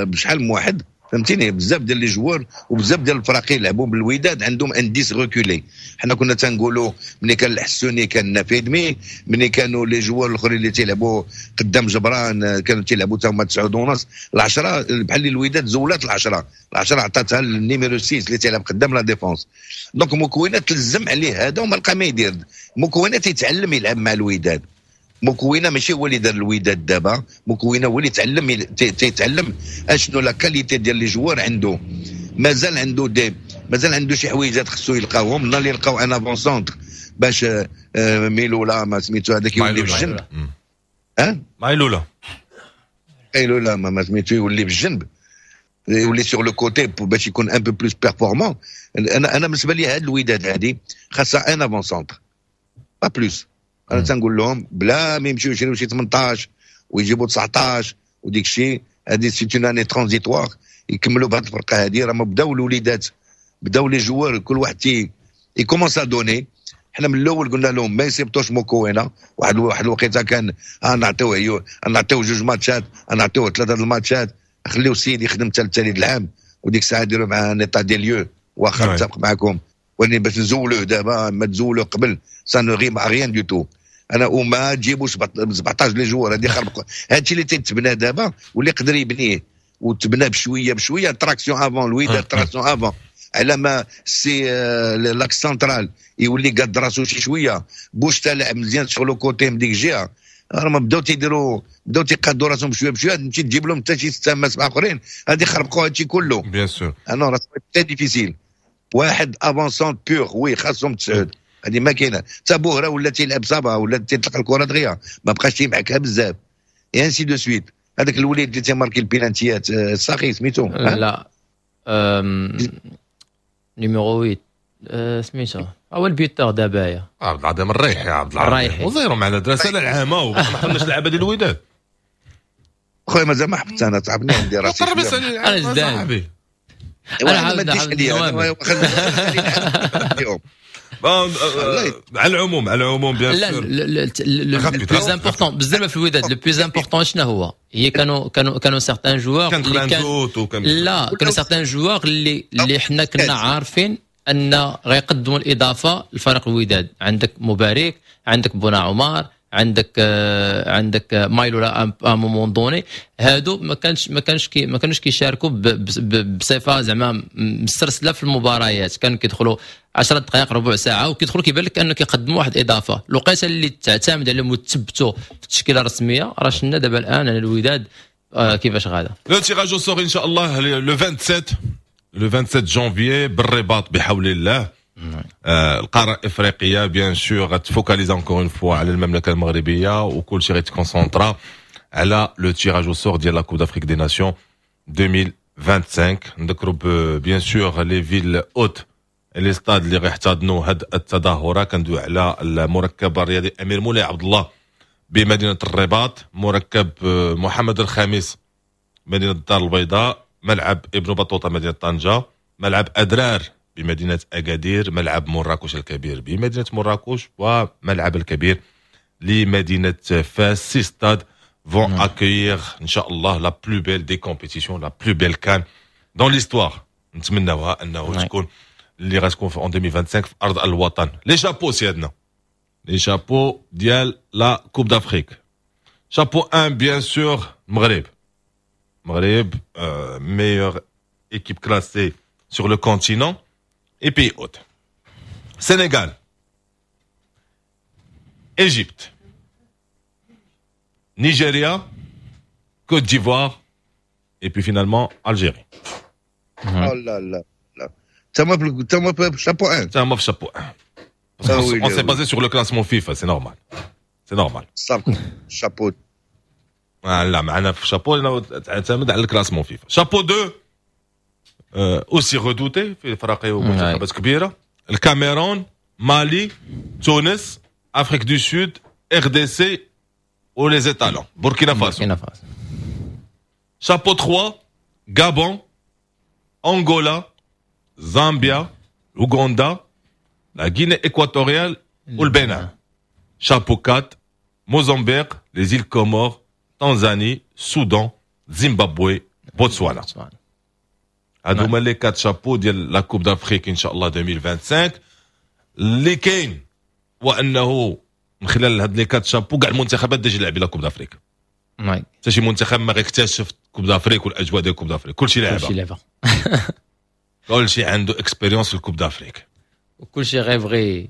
بشحال من واحد، فهمتيني؟ بزاف ديال les joueurs وبزاف ديال الفراقي يلعبوا بالوداد عندهم un 10 reculé. حنا كنا تنقولوا ملي كان الحسوني كان نافيدمي، ملي كانوا les joueurs الاخرين اللي تيلعبوا قدام جبران كانوا تيلعبوا تا هما 9 ونص، العشرة. بحال الوداد زولات العشرة، العشرة عطاتها لل numéro 6 اللي تيلعب قدام la défense. donc مكونات تلزم عليه هذا وما لقى ما يدير. مكونات يتعلم يلعب مع الوداد. مكونة ماشي هو اللي دار الوداد دابا، مكونة هو اللي تعلم، تيتعلم اشنو la qualité ديال les joueurs عنده. مازال عنده شي حويجات خصو يلقاوهم. نهار اللي يلقاو un avant-centre باش ميلولا ما سميتو هذاك يولي بالجنب. ها مايلولا. مايلولا ما سميتو يولي بالجنب. يولي sur le côté باش يكون un peu plus performant. انا بالنسبة لي هاد الوداد هادي خاصها un avant-centre، pas plus. انا تنقول لهم بلا ما يمشيو يشريو شي 18 ويجيبوا 19 وديك الشيء، هذه c'est une année transitoire، يكملوا بهذه الفرقة هذه. راه بداو الوليدات، بداو les joueurs، كل واحد تي il commence à donner. حنا من الاول قلنا لهم ما يسيبطوش موكوينا. واحد الوقيته كان نعطيوه، نعطيوه جوج ماتشات، نعطيوه ثلاثة الماتشات، خليو السيد يخدم حتى التالي العام، وديك الساعة ديروا معاه un état des lieux. واخا نتفق معكم، ولكن باش نزولوه دابا، ما تزولوه قبل، ça ne rime à rien du tout. انا وما تجيبوش 17 les joueurs، هذه خربق. هادشي اللي تيتبنى دابا واللي يقدر يبنيه وتبنى بشوية بشويه، traction avant الوداد، traction avant، على ما c'est l'axe central يولي قاد راسو شي شويه، بوشتا لعب مزيان sur le côté من ديك الجهه. راه ما بداو تيديروا، بداو تيقادوا راسهم بشوية بشويه. تمشي تجيب لهم حتى شي ستة ما سبعة اخرين، غادي يخربقوا هادشي كله. bien sûr. انا راه très difficile. واحد avant-centre pur، oui، خاصهم تسعود، هذه ما كاينه. حتى بوهره ولا تيلعب ça va، ولا تيطلق الكره دغيا، ما بقاش تيمعكها بزاف، et ainsi de suite. هذاك الوليد اللي تيماركي البينانتيات، الساخي سميتو؟ لا، numéro 8 سميتو، هو ال buteur دابا يا عبد العظيم الريحي، عبد العظيم الريحي. وزيرو معنا دراسة العامة وما حملناش اللعابه ديال الوداد. خويا مازال ما حفظت انا، تعبني عندي راسي. قرب يسال. أنا جداد. صاحبي. انا أنا ما نديش عاود عليا. نوامر. على العموم bien لا sûr. le plus important بزاف في الوداد، le plus important شنو هو؟ هي كانوا certains joueurs كان اللي كان خلاندوت وكان لا، كانوا certains joueurs اللي حنا كنا عارفين ان غيقدموا الاضافة لفريق الوداد. عندك مبارك، عندك بونا عمر، عندك مايلو à un moment donné. هادو ما كانوش كيشاركوا بصفة زعما مسترسله في المباريات، كانوا كيدخلوا 10 دقائق، ربع ساعه، وكيدخلوا كيبان لك انه كيقدموا واحد الاضافه. الوقيته اللي تعتمد عليهم وتثبتوا في التشكيلة الرسميه، راه شفنا دابا الان الوداد كيفاش غادا. le tirage au sort ان شاء الله le 27، le 27 جانفيي بالرباط بحول الله. القارة الافريقية bien sûr غت focalise encore une fois على المملكة المغربيه، وكل شيء غيت concentra على le tirage au sort ديال la Coupe d'Afrique des Nations 2025. نذكروا bien sûr les villes hôtes، les stades اللي غيحتضنوا هاد التظاهره. كندوي على المركب الرياضي امير مولاي عبد الله بمدينة الرباط، مركب محمد الخامس مدينة الدار البيضاء، ملعب ابن بطوطة مدينة طنجه، ملعب ادرار بمدينة اكادير، ملعب مراكش الكبير بمدينة مراكش، وملعب الكبير لمدينة فاس. six stades vont accueillir ان شاء الله la plus belle des compétitions، la plus belle CAN dans l'histoire. نتمناوها انه تكون اللي غتكون في 2025 في ارض الوطن. les chapeaux سيادنا، les chapeaux ديال la Coupe d'Afrique. chapeau 1 bien sûr المغرب، المغرب meilleure équipe classée sur le continent et pays hôte. Sénégal, Égypte, Nigeria, Côte d'Ivoire et puis finalement Algérie. Oh là là là. تما في شابو 1. تما في chapeau 1. Ah oui, on s'est basé sur le classement FIFA, c'est normal. C'est normal. شابو لا، معنا في شابو تعتمد على ال classement FIFA. chapeau 2 aussi redouté في فراقي ومنتخبات كبيره: الكاميرون، مالي، تونس، Afrique du Sud، RDC و les étalons بوركينا فاسو. بوركينا فاسو. chapeau 3: Gabon، Angola، Zambia، Ouganda، la Guinée équatoriale والبنان. chapeau 4: Mozambique، les îles Comores، Tanzanie، Soudan، Zimbabwe، Botswana. هادو هما les quatre chapeaux ديال la Coupe d'Afrique ان شاء الله 2025. اللي كاين وانه من خلال هاد les quatre chapeaux كاع المنتخبات déjà لاعبين la Coupe d'Afrique. حتى شي منتخب ما غيكتشف Coupe d'Afrique والاجواء ديال Coupe d'Afrique، كلشي لعبه. كلشي لعبه. كلشي عنده expérience في ال Coupe d'Afrique. وكلشي غيبغي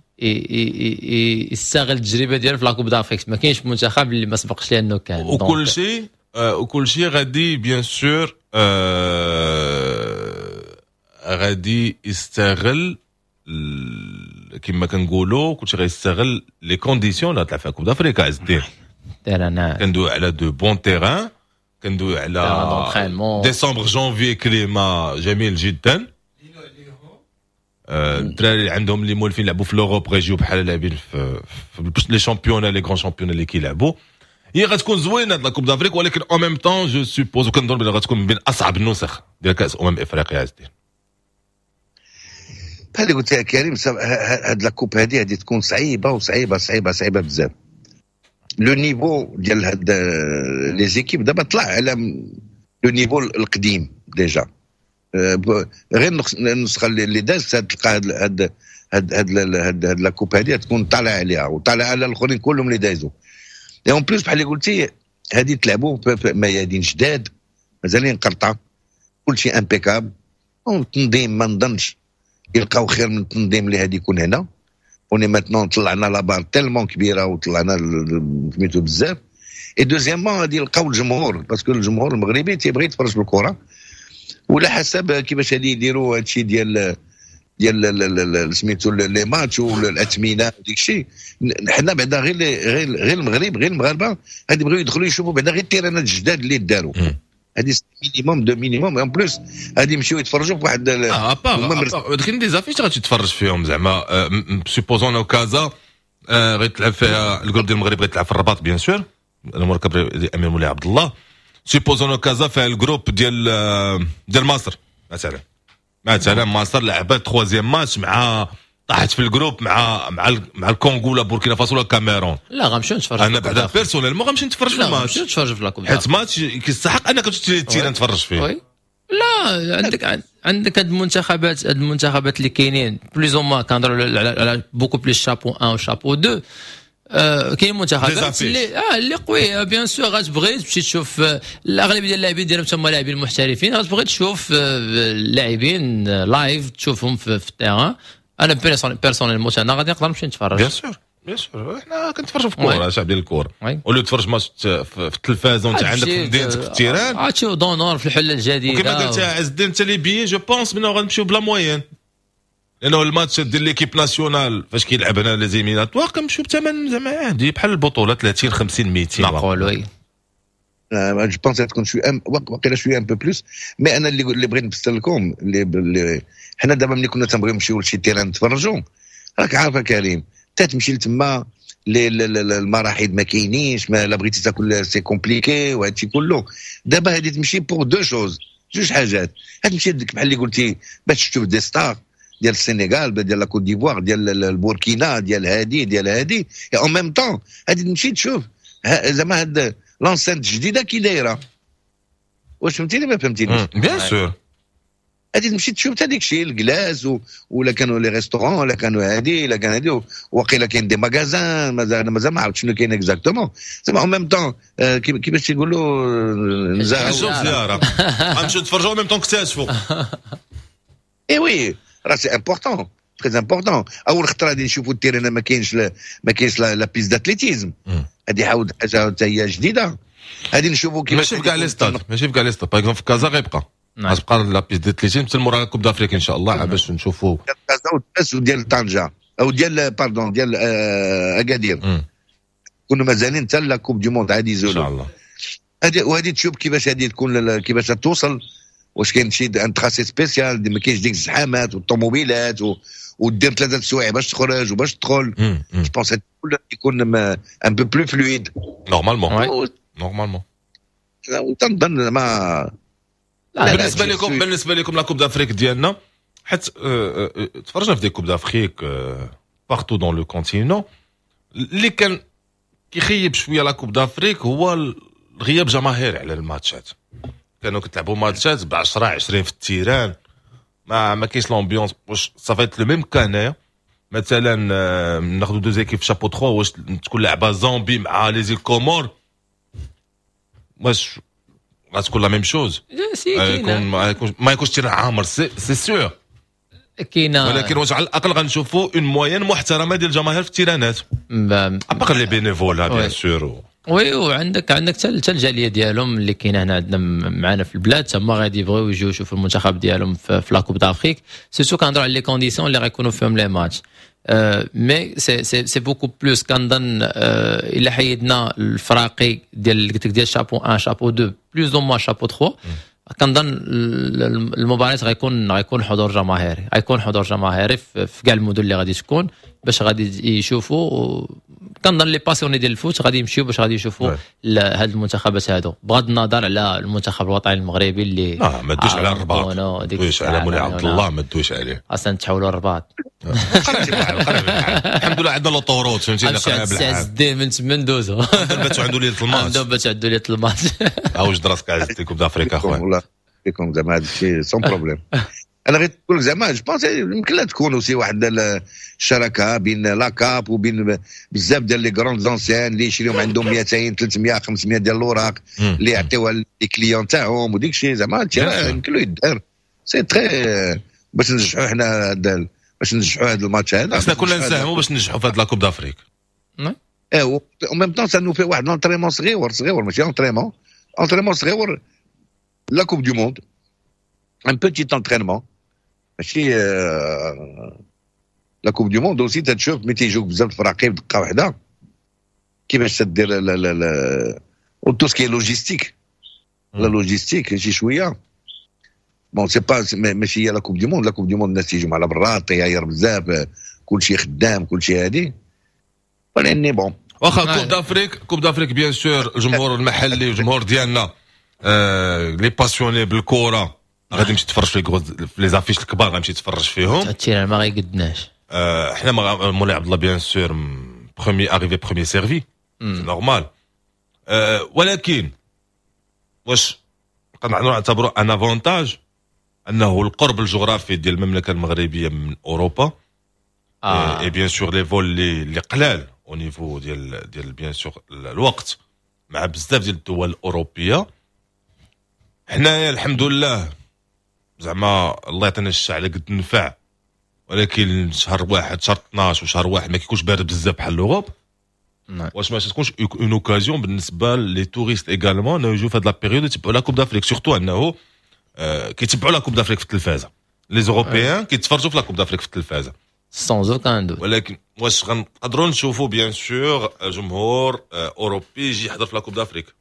يستغل التجربة ديالو في la Coupe d'Afrique، ما كاينش منتخب اللي ما سبقش ليه انه كان. وكل شيء غادي bien sûr غادي يستغل، كما كنقولوا كلشي غيستغل les conditions اللي طلع فيها Coupe d'Afrique. عز الدين، terrain. كندوي على de bons terrains. كندوي على décembre janvier، climat جميل جدا. الدراري اللي عندهم اللي مولفين يلعبوا في l'Europe غيجيو بحال لاعبين في les championnats، les grands championnats اللي كيلعبوا. هي غتكون زوينة هاد la Coupe d'Afrique، ولكن en même temps je suppose وكنظن بلي غتكون من بين اصعب النسخ ديال كاس افريقيا، عز الدين. بحال اللي قلت يا كريم، هاد la coupe هادي غادي تكون صعيبة وصعيبه صعيبة صعيبة بزاف. le niveau ديال هاد les équipes دابا طلع على le niveau القديم déjà. غير النسخة اللي دازت تلقى هاد la coupe هادي تكون طالعه عليها وطالعه على الاخرين كلهم اللي دايزو. et en plus بحال اللي قلتي، هادي تلعبوا في ميادين جداد مازالين قرطه، كلشي impeccable. التنظيم ما نظنش يلقاو خير من التنظيم اللي هادي يكون هنا. on est maintenant طلعنا la barre tellement كبيرة وطلعنا سميتو بزاف. et deuxièmement غادي يلقاو الجمهور، parce que الجمهور المغربي تيبغي يتفرج في الكره. ولا حسب كيفاش غادي يديروا هادشي ديال سميتو les matchs والاثمنه وديك الشيء، حنا بعدا غير المغرب، غير المغاربة غادي يبغيو يدخلوا يشوفوا بعدا غير التيرانات الجداد اللي داروا. هذه minimum de minimum. en plus غادي يمشيو يتفرجوا في واحد اه à part كاين des affiches غادي تتفرج فيهم. زعما supposons كازا غيتلعب فيها ال groupe ديال المغرب، غيتلعب في الرباط bien sûr، المركب الامير مولاي عبد الله. supposons كازا فيها ال groupe ديال مصر مثلا، مصر لعبت troisième match مع طاحت في ال groupe مع الكونغو ولا بوركينا فاسو ولا الكاميرون. لا، غنمشيو نتفرج. انا بعدا personnellement غنمشي نتفرج في الماتش. نمشيو نتفرج في la coupe. حيت ماتش كيستحق انك تمشي terrain تفرج فيه. oui، لا، عندك هاد المنتخبات اللي كاينين plus ou moins، كنهضروا على beaucoup plus chapeau 1 و شابو 2. كاين منتخبات اللي قوية bien sûr، غتبغي تمشي تشوف الاغلبية ديال اللاعبين ديالهم تما لاعبين محترفين، غتبغي تشوف اللاعبين live، تشوفهم في ال terrain. انا personnellement انا غادي نقدر نمشي نتفرج. bien sûr bien sûr، حنا كنتفرجوا في الكورة، شعب ديال الكوره. ولو تفرج ماتش في التلفازه وانت عندك في مدينتك في ال terrain. عرفتي دونور في الحلة الجديده. وكما قلت عز الدين انت، les billets je pense منو غنمشيو ب la moyenne، لانه الماتش ديال l'équipe nationale فاش كيلعب هنا les éliminatoires كنمشيو بثمن زعما عادي بحال البطوله، 30 50 200. معقول، oui. je pense تكون شوية واقيلا شوية un peu plus، mais انا اللي بغيت نفسر لكم اللي حنا دابا ملي كنا تنبغيو نمشيو لشي terrain نتفرجوا، راك عارفه كريم، تمشي لتما المراحيض ما كاينينش، ما لا بغيتي تاكل c'est compliqué وهادشي كله. دابا هادي تمشي pour deux choses، جوج حاجات. تمشي بحال اللي قلتي باش تشوف des stars ديال السنغال، ديال la Côte d'Ivoire، ديال البوركينا، ديال هادي، en même temps هادي تمشي تشوف زعما هاد l'enceinte الجديدة كي دايره. واش فهمتيني ما فهمتينيش؟ bien sûr. غادي تمشي تشوف حتى ديك الشيء ال glace ولا كانوا les restaurants ولا كانوا هادي ولا كان هادي، وقيلا كاين des magasins، مازال مازال ما عرفت شنو كاين exactement. زعما en même temps كيفاش تيقولوا نزاهه، زياره، غنمشيو نتفرجوا même temps نكتشفوا. eh oui، راه c'est important، très important. اول خطره غادي نشوفوا ال terrain ما كاينش la piste d'athlétisme. هذه عاود حاجة حتى هي جديده. غادي نشوفوا كيفاش ماشي في كاع les stades، ماشي في كاع les stades. par exemple في كازا غتبقى la piste d'athlétisme حتى مورا Coupe d'Afrique ان شاء الله باش نشوفوا. ديال كازا وديال طنجه او ديال، pardon، ديال اكادير كنا مازالين حتى la Coupe du monde عادي يزولوا. ان شاء الله. هذه وهذه تشوف كيفاش هذه تكون، كيفاش توصل، واش كاين شي un tracé spécial، ما كاينش ديك الزحامات والطوموبيلات ودير 3 سوايع باش تخرج وباش تدخل. je pense يكون un peu plus fluide. normalement normalement. تنظن ما بالنسبه لكم la Coupe d'Afrique ديالنا، حيت تفرجنا في des Coupes d'Afrique partout dans le continent، اللي كان كيخيب شوية la Coupe d'Afrique هو غياب جماهير على الماتشات. كانوا كتلعبوا ماتشات ب 10 20 في ال terrain، ما كاينش l'ambiance. واش ça va être le même cas هنايا؟ مثلا ناخذ deux équipes chapeau 3، واش تكون لعبه زامبي مع les îles Comores، واش غتكون la même chose؟ ما يكونش terrain عامر c'est sûr. كاينه. ولكن واش على الاقل غنشوفوا une moyenne محترمه ديال الجماهير في التيرانات، à part les bénévoles bien sûr؟ oui، وعندك حتى الجالية ديالهم اللي كاينه هنا عندنا معنا في البلاد، تما غادي يبغيو يجيو يشوفوا المنتخب ديالهم في la Coupe d'Afrique، surtout كنهضروا على les conditions اللي غيكونوا فيهم les matchs. mais c'est beaucoup plus كنظن الا حيدنا الفراقي ديال قلت لك ديال شابو 1، شابو 2، plus ou moins chapeau 3، كنظن المباريات غيكون حضور جماهيري، غيكون حضور جماهيري في كاع المدن اللي غادي تكون باش غادي يشوفوا. كنظن les passionnés ديال ال foot غادي يمشيو باش غادي يشوفوا هاد المنتخبات هادو، بغض النظر على المنتخب الوطني المغربي اللي اه ما دوش على الرباط، ما دوش على مولاي عبد الله، ما دوش عليه. اصلا تحولوا الرباط. الحمد لله عندنا l'autoroute، فهمتيني. قريب الساعة من تما ندوزو. باتو عنده ليلة الماتش. باتو عنده ليلة الماتش. واش راسك عز Coupe d'Afrique اخويا؟ والله فيكم زعما هذا الشيء sans problème. انا غير نقول زعما je pense يمكن لها تكون aussi واحد الشراكة بين la CAF وبين بزاف ديال les grandes enseignes اللي يشريهم عندهم 200، 300، 500 ديال الاوراق اللي يعطيوها les clients تاعهم وديك الشيء. زعما هادشي يمكن له يدار، c'est très باش ننجحوا حنا، باش ننجحوا هذا الماتش هذا. خصنا كلنا نساهموا باش ننجحوا في هذا la Coupe d'Afrique. ايه، en même temps ça nous fait واحد l'entraînement صغيور صغيور، ماشي entraînement، entraînement صغيور la Coupe du Monde، un petit entraînement ماشي la Coupe du Monde aussi. تشوف ملي تيجوك بزاف الفراقي بدقة واحدة كيفاش تدير لا tout ce qui est logistique، la logistique شي شويه. bon، c'est pas ماشي هي la Coupe du Monde. la Coupe du Monde الناس تيجيو على برا، طياير بزاف، كلشي خدام، كلشي هادي، ولكن bon. واخا Coupe d'Afrique، Coupe d'Afrique، bien sûr الجمهور المحلي والجمهور ديالنا les passionnés بالكرة غادي يمشي يتفرج في les affiches الكبار، غادي يمشي يتفرج فيهم. ال terrain ما غيقدناش. حنا مولاي عبد الله bien sûr premier arrivé premier servi، c'est normal، ولكن واش نقدروا نعتبروا un avantage انه القرب الجغرافي ديال المملكة المغربية من اوروبا et bien sûr les vols اللي قلال au niveau ديال bien sûr الوقت مع بزاف ديال الدول الاوروبيه؟ حنايا الحمد لله زعما الله يعطينا الشعر على قد النفع، ولكن شهر واحد، شهر 12 وشهر واحد ما كيكونش بارد بزاف بحال l'Europe. واش ما تكونش une occasion بالنسبة les touristes également انه يجوا في هاد la période يتبعوا la Coupe d'Afrique، surtout انه كيتبعوا la Coupe d'Afrique في التلفازه، les Européens كيتفرجوا في la Coupe d'Afrique في التلفازه؟ sans aucun doute. ولكن واش غنقدروا نشوفوا bien sûr جمهور اوروبي يجي يحضر في la Coupe d'Afrique؟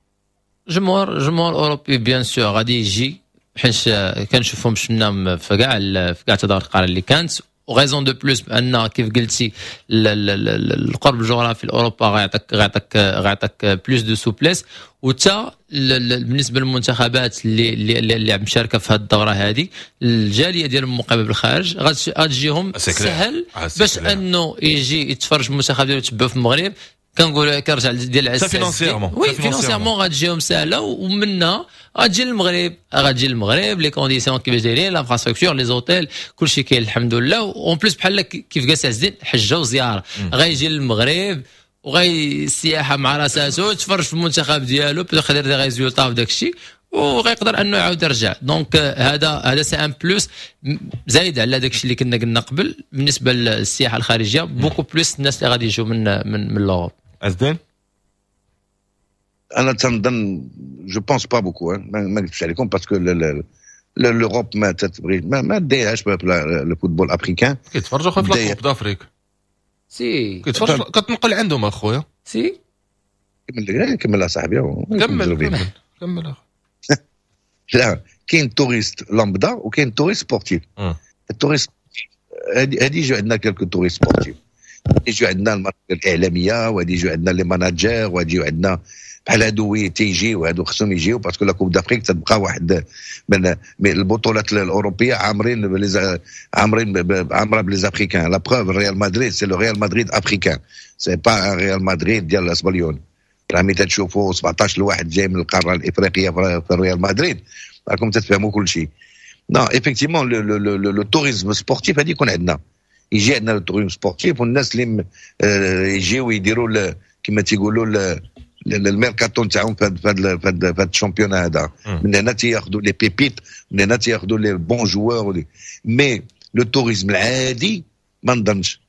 جمهور اوروبي bien sûr غادي يجي، حيت كنشوفهم شفنا في كاع التظاهرات القارية اللي كانت، و raison de plus بان كيف قلتي القرب الجغرافي لاوروبا غيعطيك plus de souplesse. وتا بالنسبة للمنتخبات اللي مشاركة في هذه الدورة هذه، الجالية ديال المقيمه بالخارج غتجيهم سهل باش انه يجي يتفرج المنتخب ديالو يتبعو في المغرب. كنقول كنرجع ديال العساس financièrement. oui، financièrement غتجيهم سهله، ومنها غتجي للمغرب، les conditions كيفاش دايرين، l'infrastructure، les hôtels، كلشي كاين الحمد لله. en plus بحال كيف قال عز الدين، حجه وزياره، غيجي للمغرب وغي السياحة مع راساتو، يتفرج في المنتخب ديالو، peut-être يدير des résultats وداك الشيء، وغيقدر انه يعاود يرجع. donc هذا c'est un plus زايد على داك الشيء اللي كنا قلنا قبل بالنسبة للسياحة الخارجيه، beaucoup plus الناس اللي غادي يجوا من l'Europe. ازدين. انا تنظن je pense pas beaucoup، ما نكذبش عليكم، parce que l'Europe ما تتبغي ما دايرهاش le football africain. كيتفرجوا في la Coupe d'Afrique. si. كيتفرجوا، كتنقل عندهم اخويا. si. كمل كمل اصاحبي. كمل كمل كمل. لا، كاين touriste lambda وكاين touriste sportif. ال touriste هادي يجوا عندنا quelques touristes sportifs، يجوا عندنا المراكز الاعلاميه، وهادي يجوا عندنا les managers، وهادي يجوا عندنا بحال هادو. oui، تيجيو هادو، خصهم يجيو parce que la Coupe d'Afrique تبقى واحد من البطولات الاوروبية عامرين عامرة ب les Africains. la preuve، الريال مدريد c'est le Real Madrid africain، c'est pas un ريال مدريد ديال الاسبليون. راه ملي تشوفوا 17 لواحد جاي من القارة الافريقية في الريال مدريد راكم تتفهموا كل شيء. non، effectivement le tourisme sportif هادي يكون عندنا، يجي عندنا le tourisme sportif، والناس اللي يجيو يديروا كما تيقولوا الميركاتو نتاعهم في هذا ال championnat هذا. من هنا تياخذوا les pépites، من هنا تياخذوا les bons joueurs. mais le tourisme العادي ما نظنش،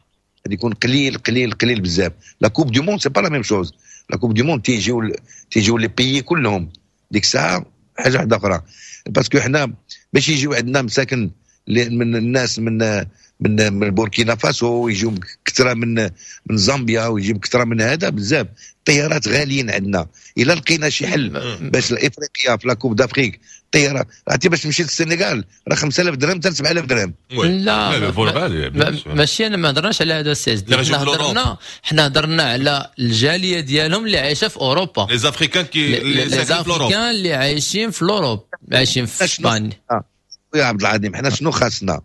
غادي يكون قليل قليل قليل بزاف. la Coupe du Monde c'est pas la même chose. la Coupe du monde تيجيو les pays كلهم، ديك الساعة حاجة واحدة اخرى، parce que حنا باش يجيو عندنا مساكن من الناس من من من بوركينا فاسو، يجيو كثرة من زامبيا، ويجيو كثرة من هذا بزاف. الطيارات غاليين عندنا. الا لقينا شي حل باش الافريقيا في la Coupe d'Afrique الطيارة، عرفتي باش تمشي للسنغال راه 5000 درهم حتى 7000 درهم. لا ماشي، انا ما هضرناش على هذا السيد، حنا هضرنا على الجالية ديالهم اللي عايشه في اوروبا، les Africains qui les Africains اللي عايشين في l'Europe، عايشين في اسبانيا. يا عبد العظيم حنا شنو خاصنا؟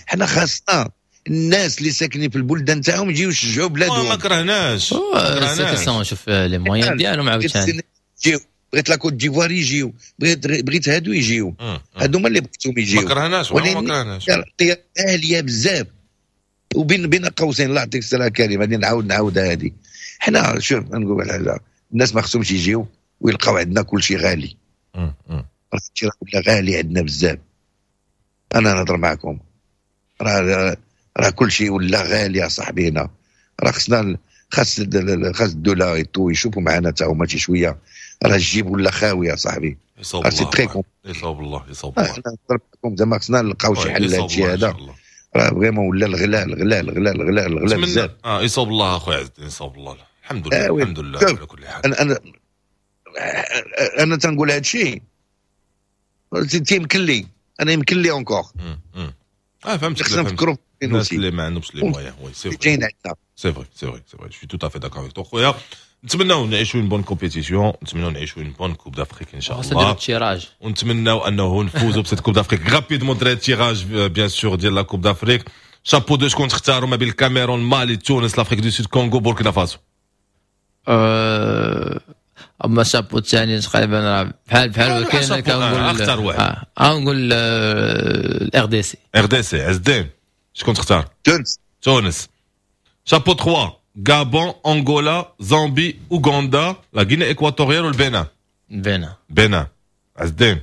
حنا خاصنا الناس اللي ساكنين في البلدان تاعهم يجيو يشجعوا بلادهم. ما كرهناش، شوف les moyens ديالهم عاوتاني. بغيت la Côte d'Ivoire يجيو، بغيت هادو يجيو، هادو هما اللي بغيتهم يجيو. ما كرهناش، ما كرهناش. غالية بزاف. وبين بين قوسين، الله يعطيك السلامة كريم، غادي نعاودها هذه. حنا شوف نقول حاجة، الناس ما خصهمش يجيو ويلقاو عندنا كل شيء غالي. راه ولا غالي عندنا بزاف. انا نهضر معكم، راه كل شيء ولا غالي يا صاحبي هنا. راه خصنا خاص الدولة يشوفوا معنا تا هما شي شوية، راه الجيب ولا خاوي يا صاحبي. يصوب الله، يصوب الله، يصوب الله. نهضر معكم زعما خصنا نلقاو شي حل لهذا الشيء هذا. راه vraiment ولا الغلاء الغلاء الغلاء الغلاء الغلاء بزاف. يصوب الله اخويا عز الدين، يصوب الله. الحمد لله، الحمد لله على كل حال. انا تنقول هذا الشيء تيمكن لي انا، يمكن لي encore. فهمت. خصنا نفكروا في الناس اللي ما عندهمش les moyens. oui c'est vrai c'est vrai c'est vrai c'est vrai، je suis tout à fait d'accord avec toi خويا. نتمناو نعيشوا une bonne compétition، نتمناو نعيشوا une bonne Coupe d'Afrique ان شاء الله. tirage، ونتمناو انه نفوزوا ب cette Coupe d'Afrique rapidement. دري tirage bien sûr ديال la Coupe d'Afrique. chapeau deux شكون تختاروا ما بين الكاميرون، مالي، تونس، l'Afrique du Sud، كونغو، بوركينا فاسو؟ اما شابو الثاني تقريبا بحال بحال، ولكن كنقول اختار واحد. نقول ال RDC. RDC. عز الدين شكون تختار؟ تونس. تونس. شابو 3 غابون، انغولا، زامبي، اوغندا، la Guinée équatoriale والبنين. بنين. بنين. عز الدين.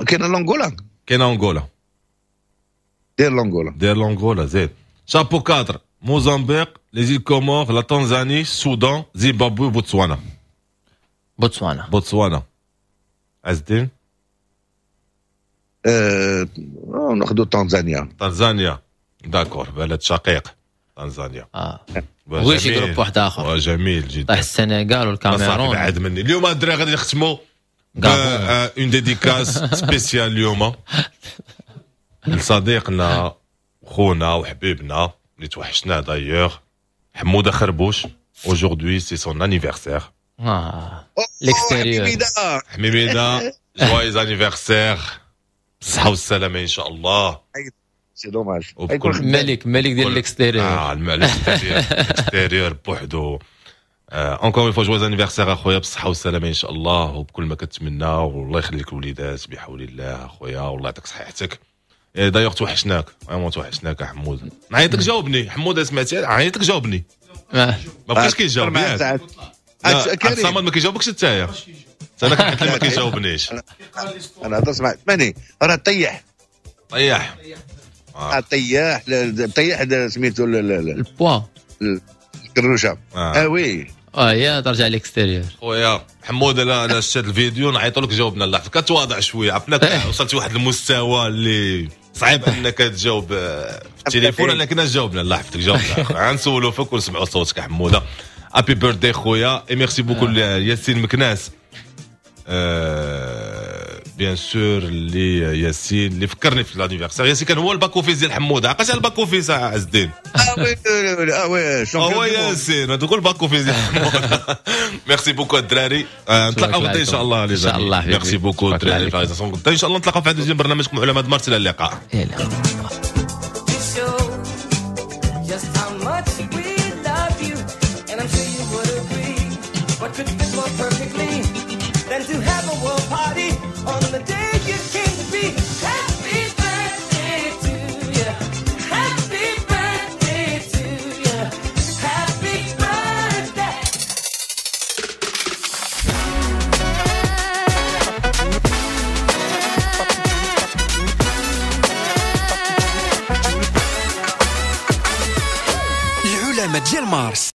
كاين l'Angola. كاين انغولا. دير l'Angola. دير l'Angola زيد. شابو 4 موزامبيق، les îles Comores، la Tanzanie، السودان، زيمبابوي، بوتسوانا. بوتسوانا. بوتسوانا. عز الدين. ناخذ تنزانيا. تنزانيا d'accord، بلد شقيق تنزانيا. بغيت شي groupe واحد اخر. جميل جدا. طيح السنغال والكاميرون. بعد مني اليوم الدراري غادي نختموا une dédicace spéciale اليوم لصديقنا خونا وحبيبنا اللي توحشناه d'ailleurs، حموده خربوش. Aujourd'hui c'est son anniversaire. L'extérieur. حميميده joyeux anniversaire، بالصحة والسلامة ان شاء الله. c'est dommage. ملك ملك ديال l'extérieur. الملك l'extérieur بوحدو. encore une fois joyeux anniversaire اخويا، بالصحة والسلامة ان شاء الله، وبكل ما كتمنى، والله يخليك الوليدات بحول الله اخويا، والله يعطيك صحتك. d'ailleurs توحشناك، vraiment توحشناك حمود. نعيطك جاوبني حمود، سمعتي عيطك جاوبني. ما بقاش كيجاوب. عبد الصمد ما كيجاوبكش انت يا انا كنت ما كيجاوبنيش. انا هضرت مع ماني راه طيح طيح طيح طيح سميتو البوا الكروشه. Oui يا ترجع l'extérieur خويا حمود. انا شفت الفيديو نعيطوا لك جاوبنا. الله يحفظك، كتواضع شوية، عرفناك وصلتي واحد المستوى اللي صعيب انك تجاوب في التليفون، لكن جاوبنا الله يحفظك جاوبنا. غنسولوا فيك ونسمعوا صوتك حموده. happy birthday خويا، et merci beaucoup ياسين مكناس. bien sûr اللي ياسين اللي فكرني في l'anniversaire. ياسين كان هو ال back office ديال حموده، عقلت على ال back office عز الدين؟ Oui هو ياسين تقول back office ديال حموده. merci beaucoup الدراري، نتلاقاو غدا ان شاء الله. ان شاء الله. merci beaucoup الدراري، غدا ان شاء الله نتلاقاو في هذا برنامجكم علماء مارس. الى اللقاء. Than to have a world party on the day you came to be. Happy birthday to you. Happy birthday to you. Happy birthday. العلماء ديال مارس.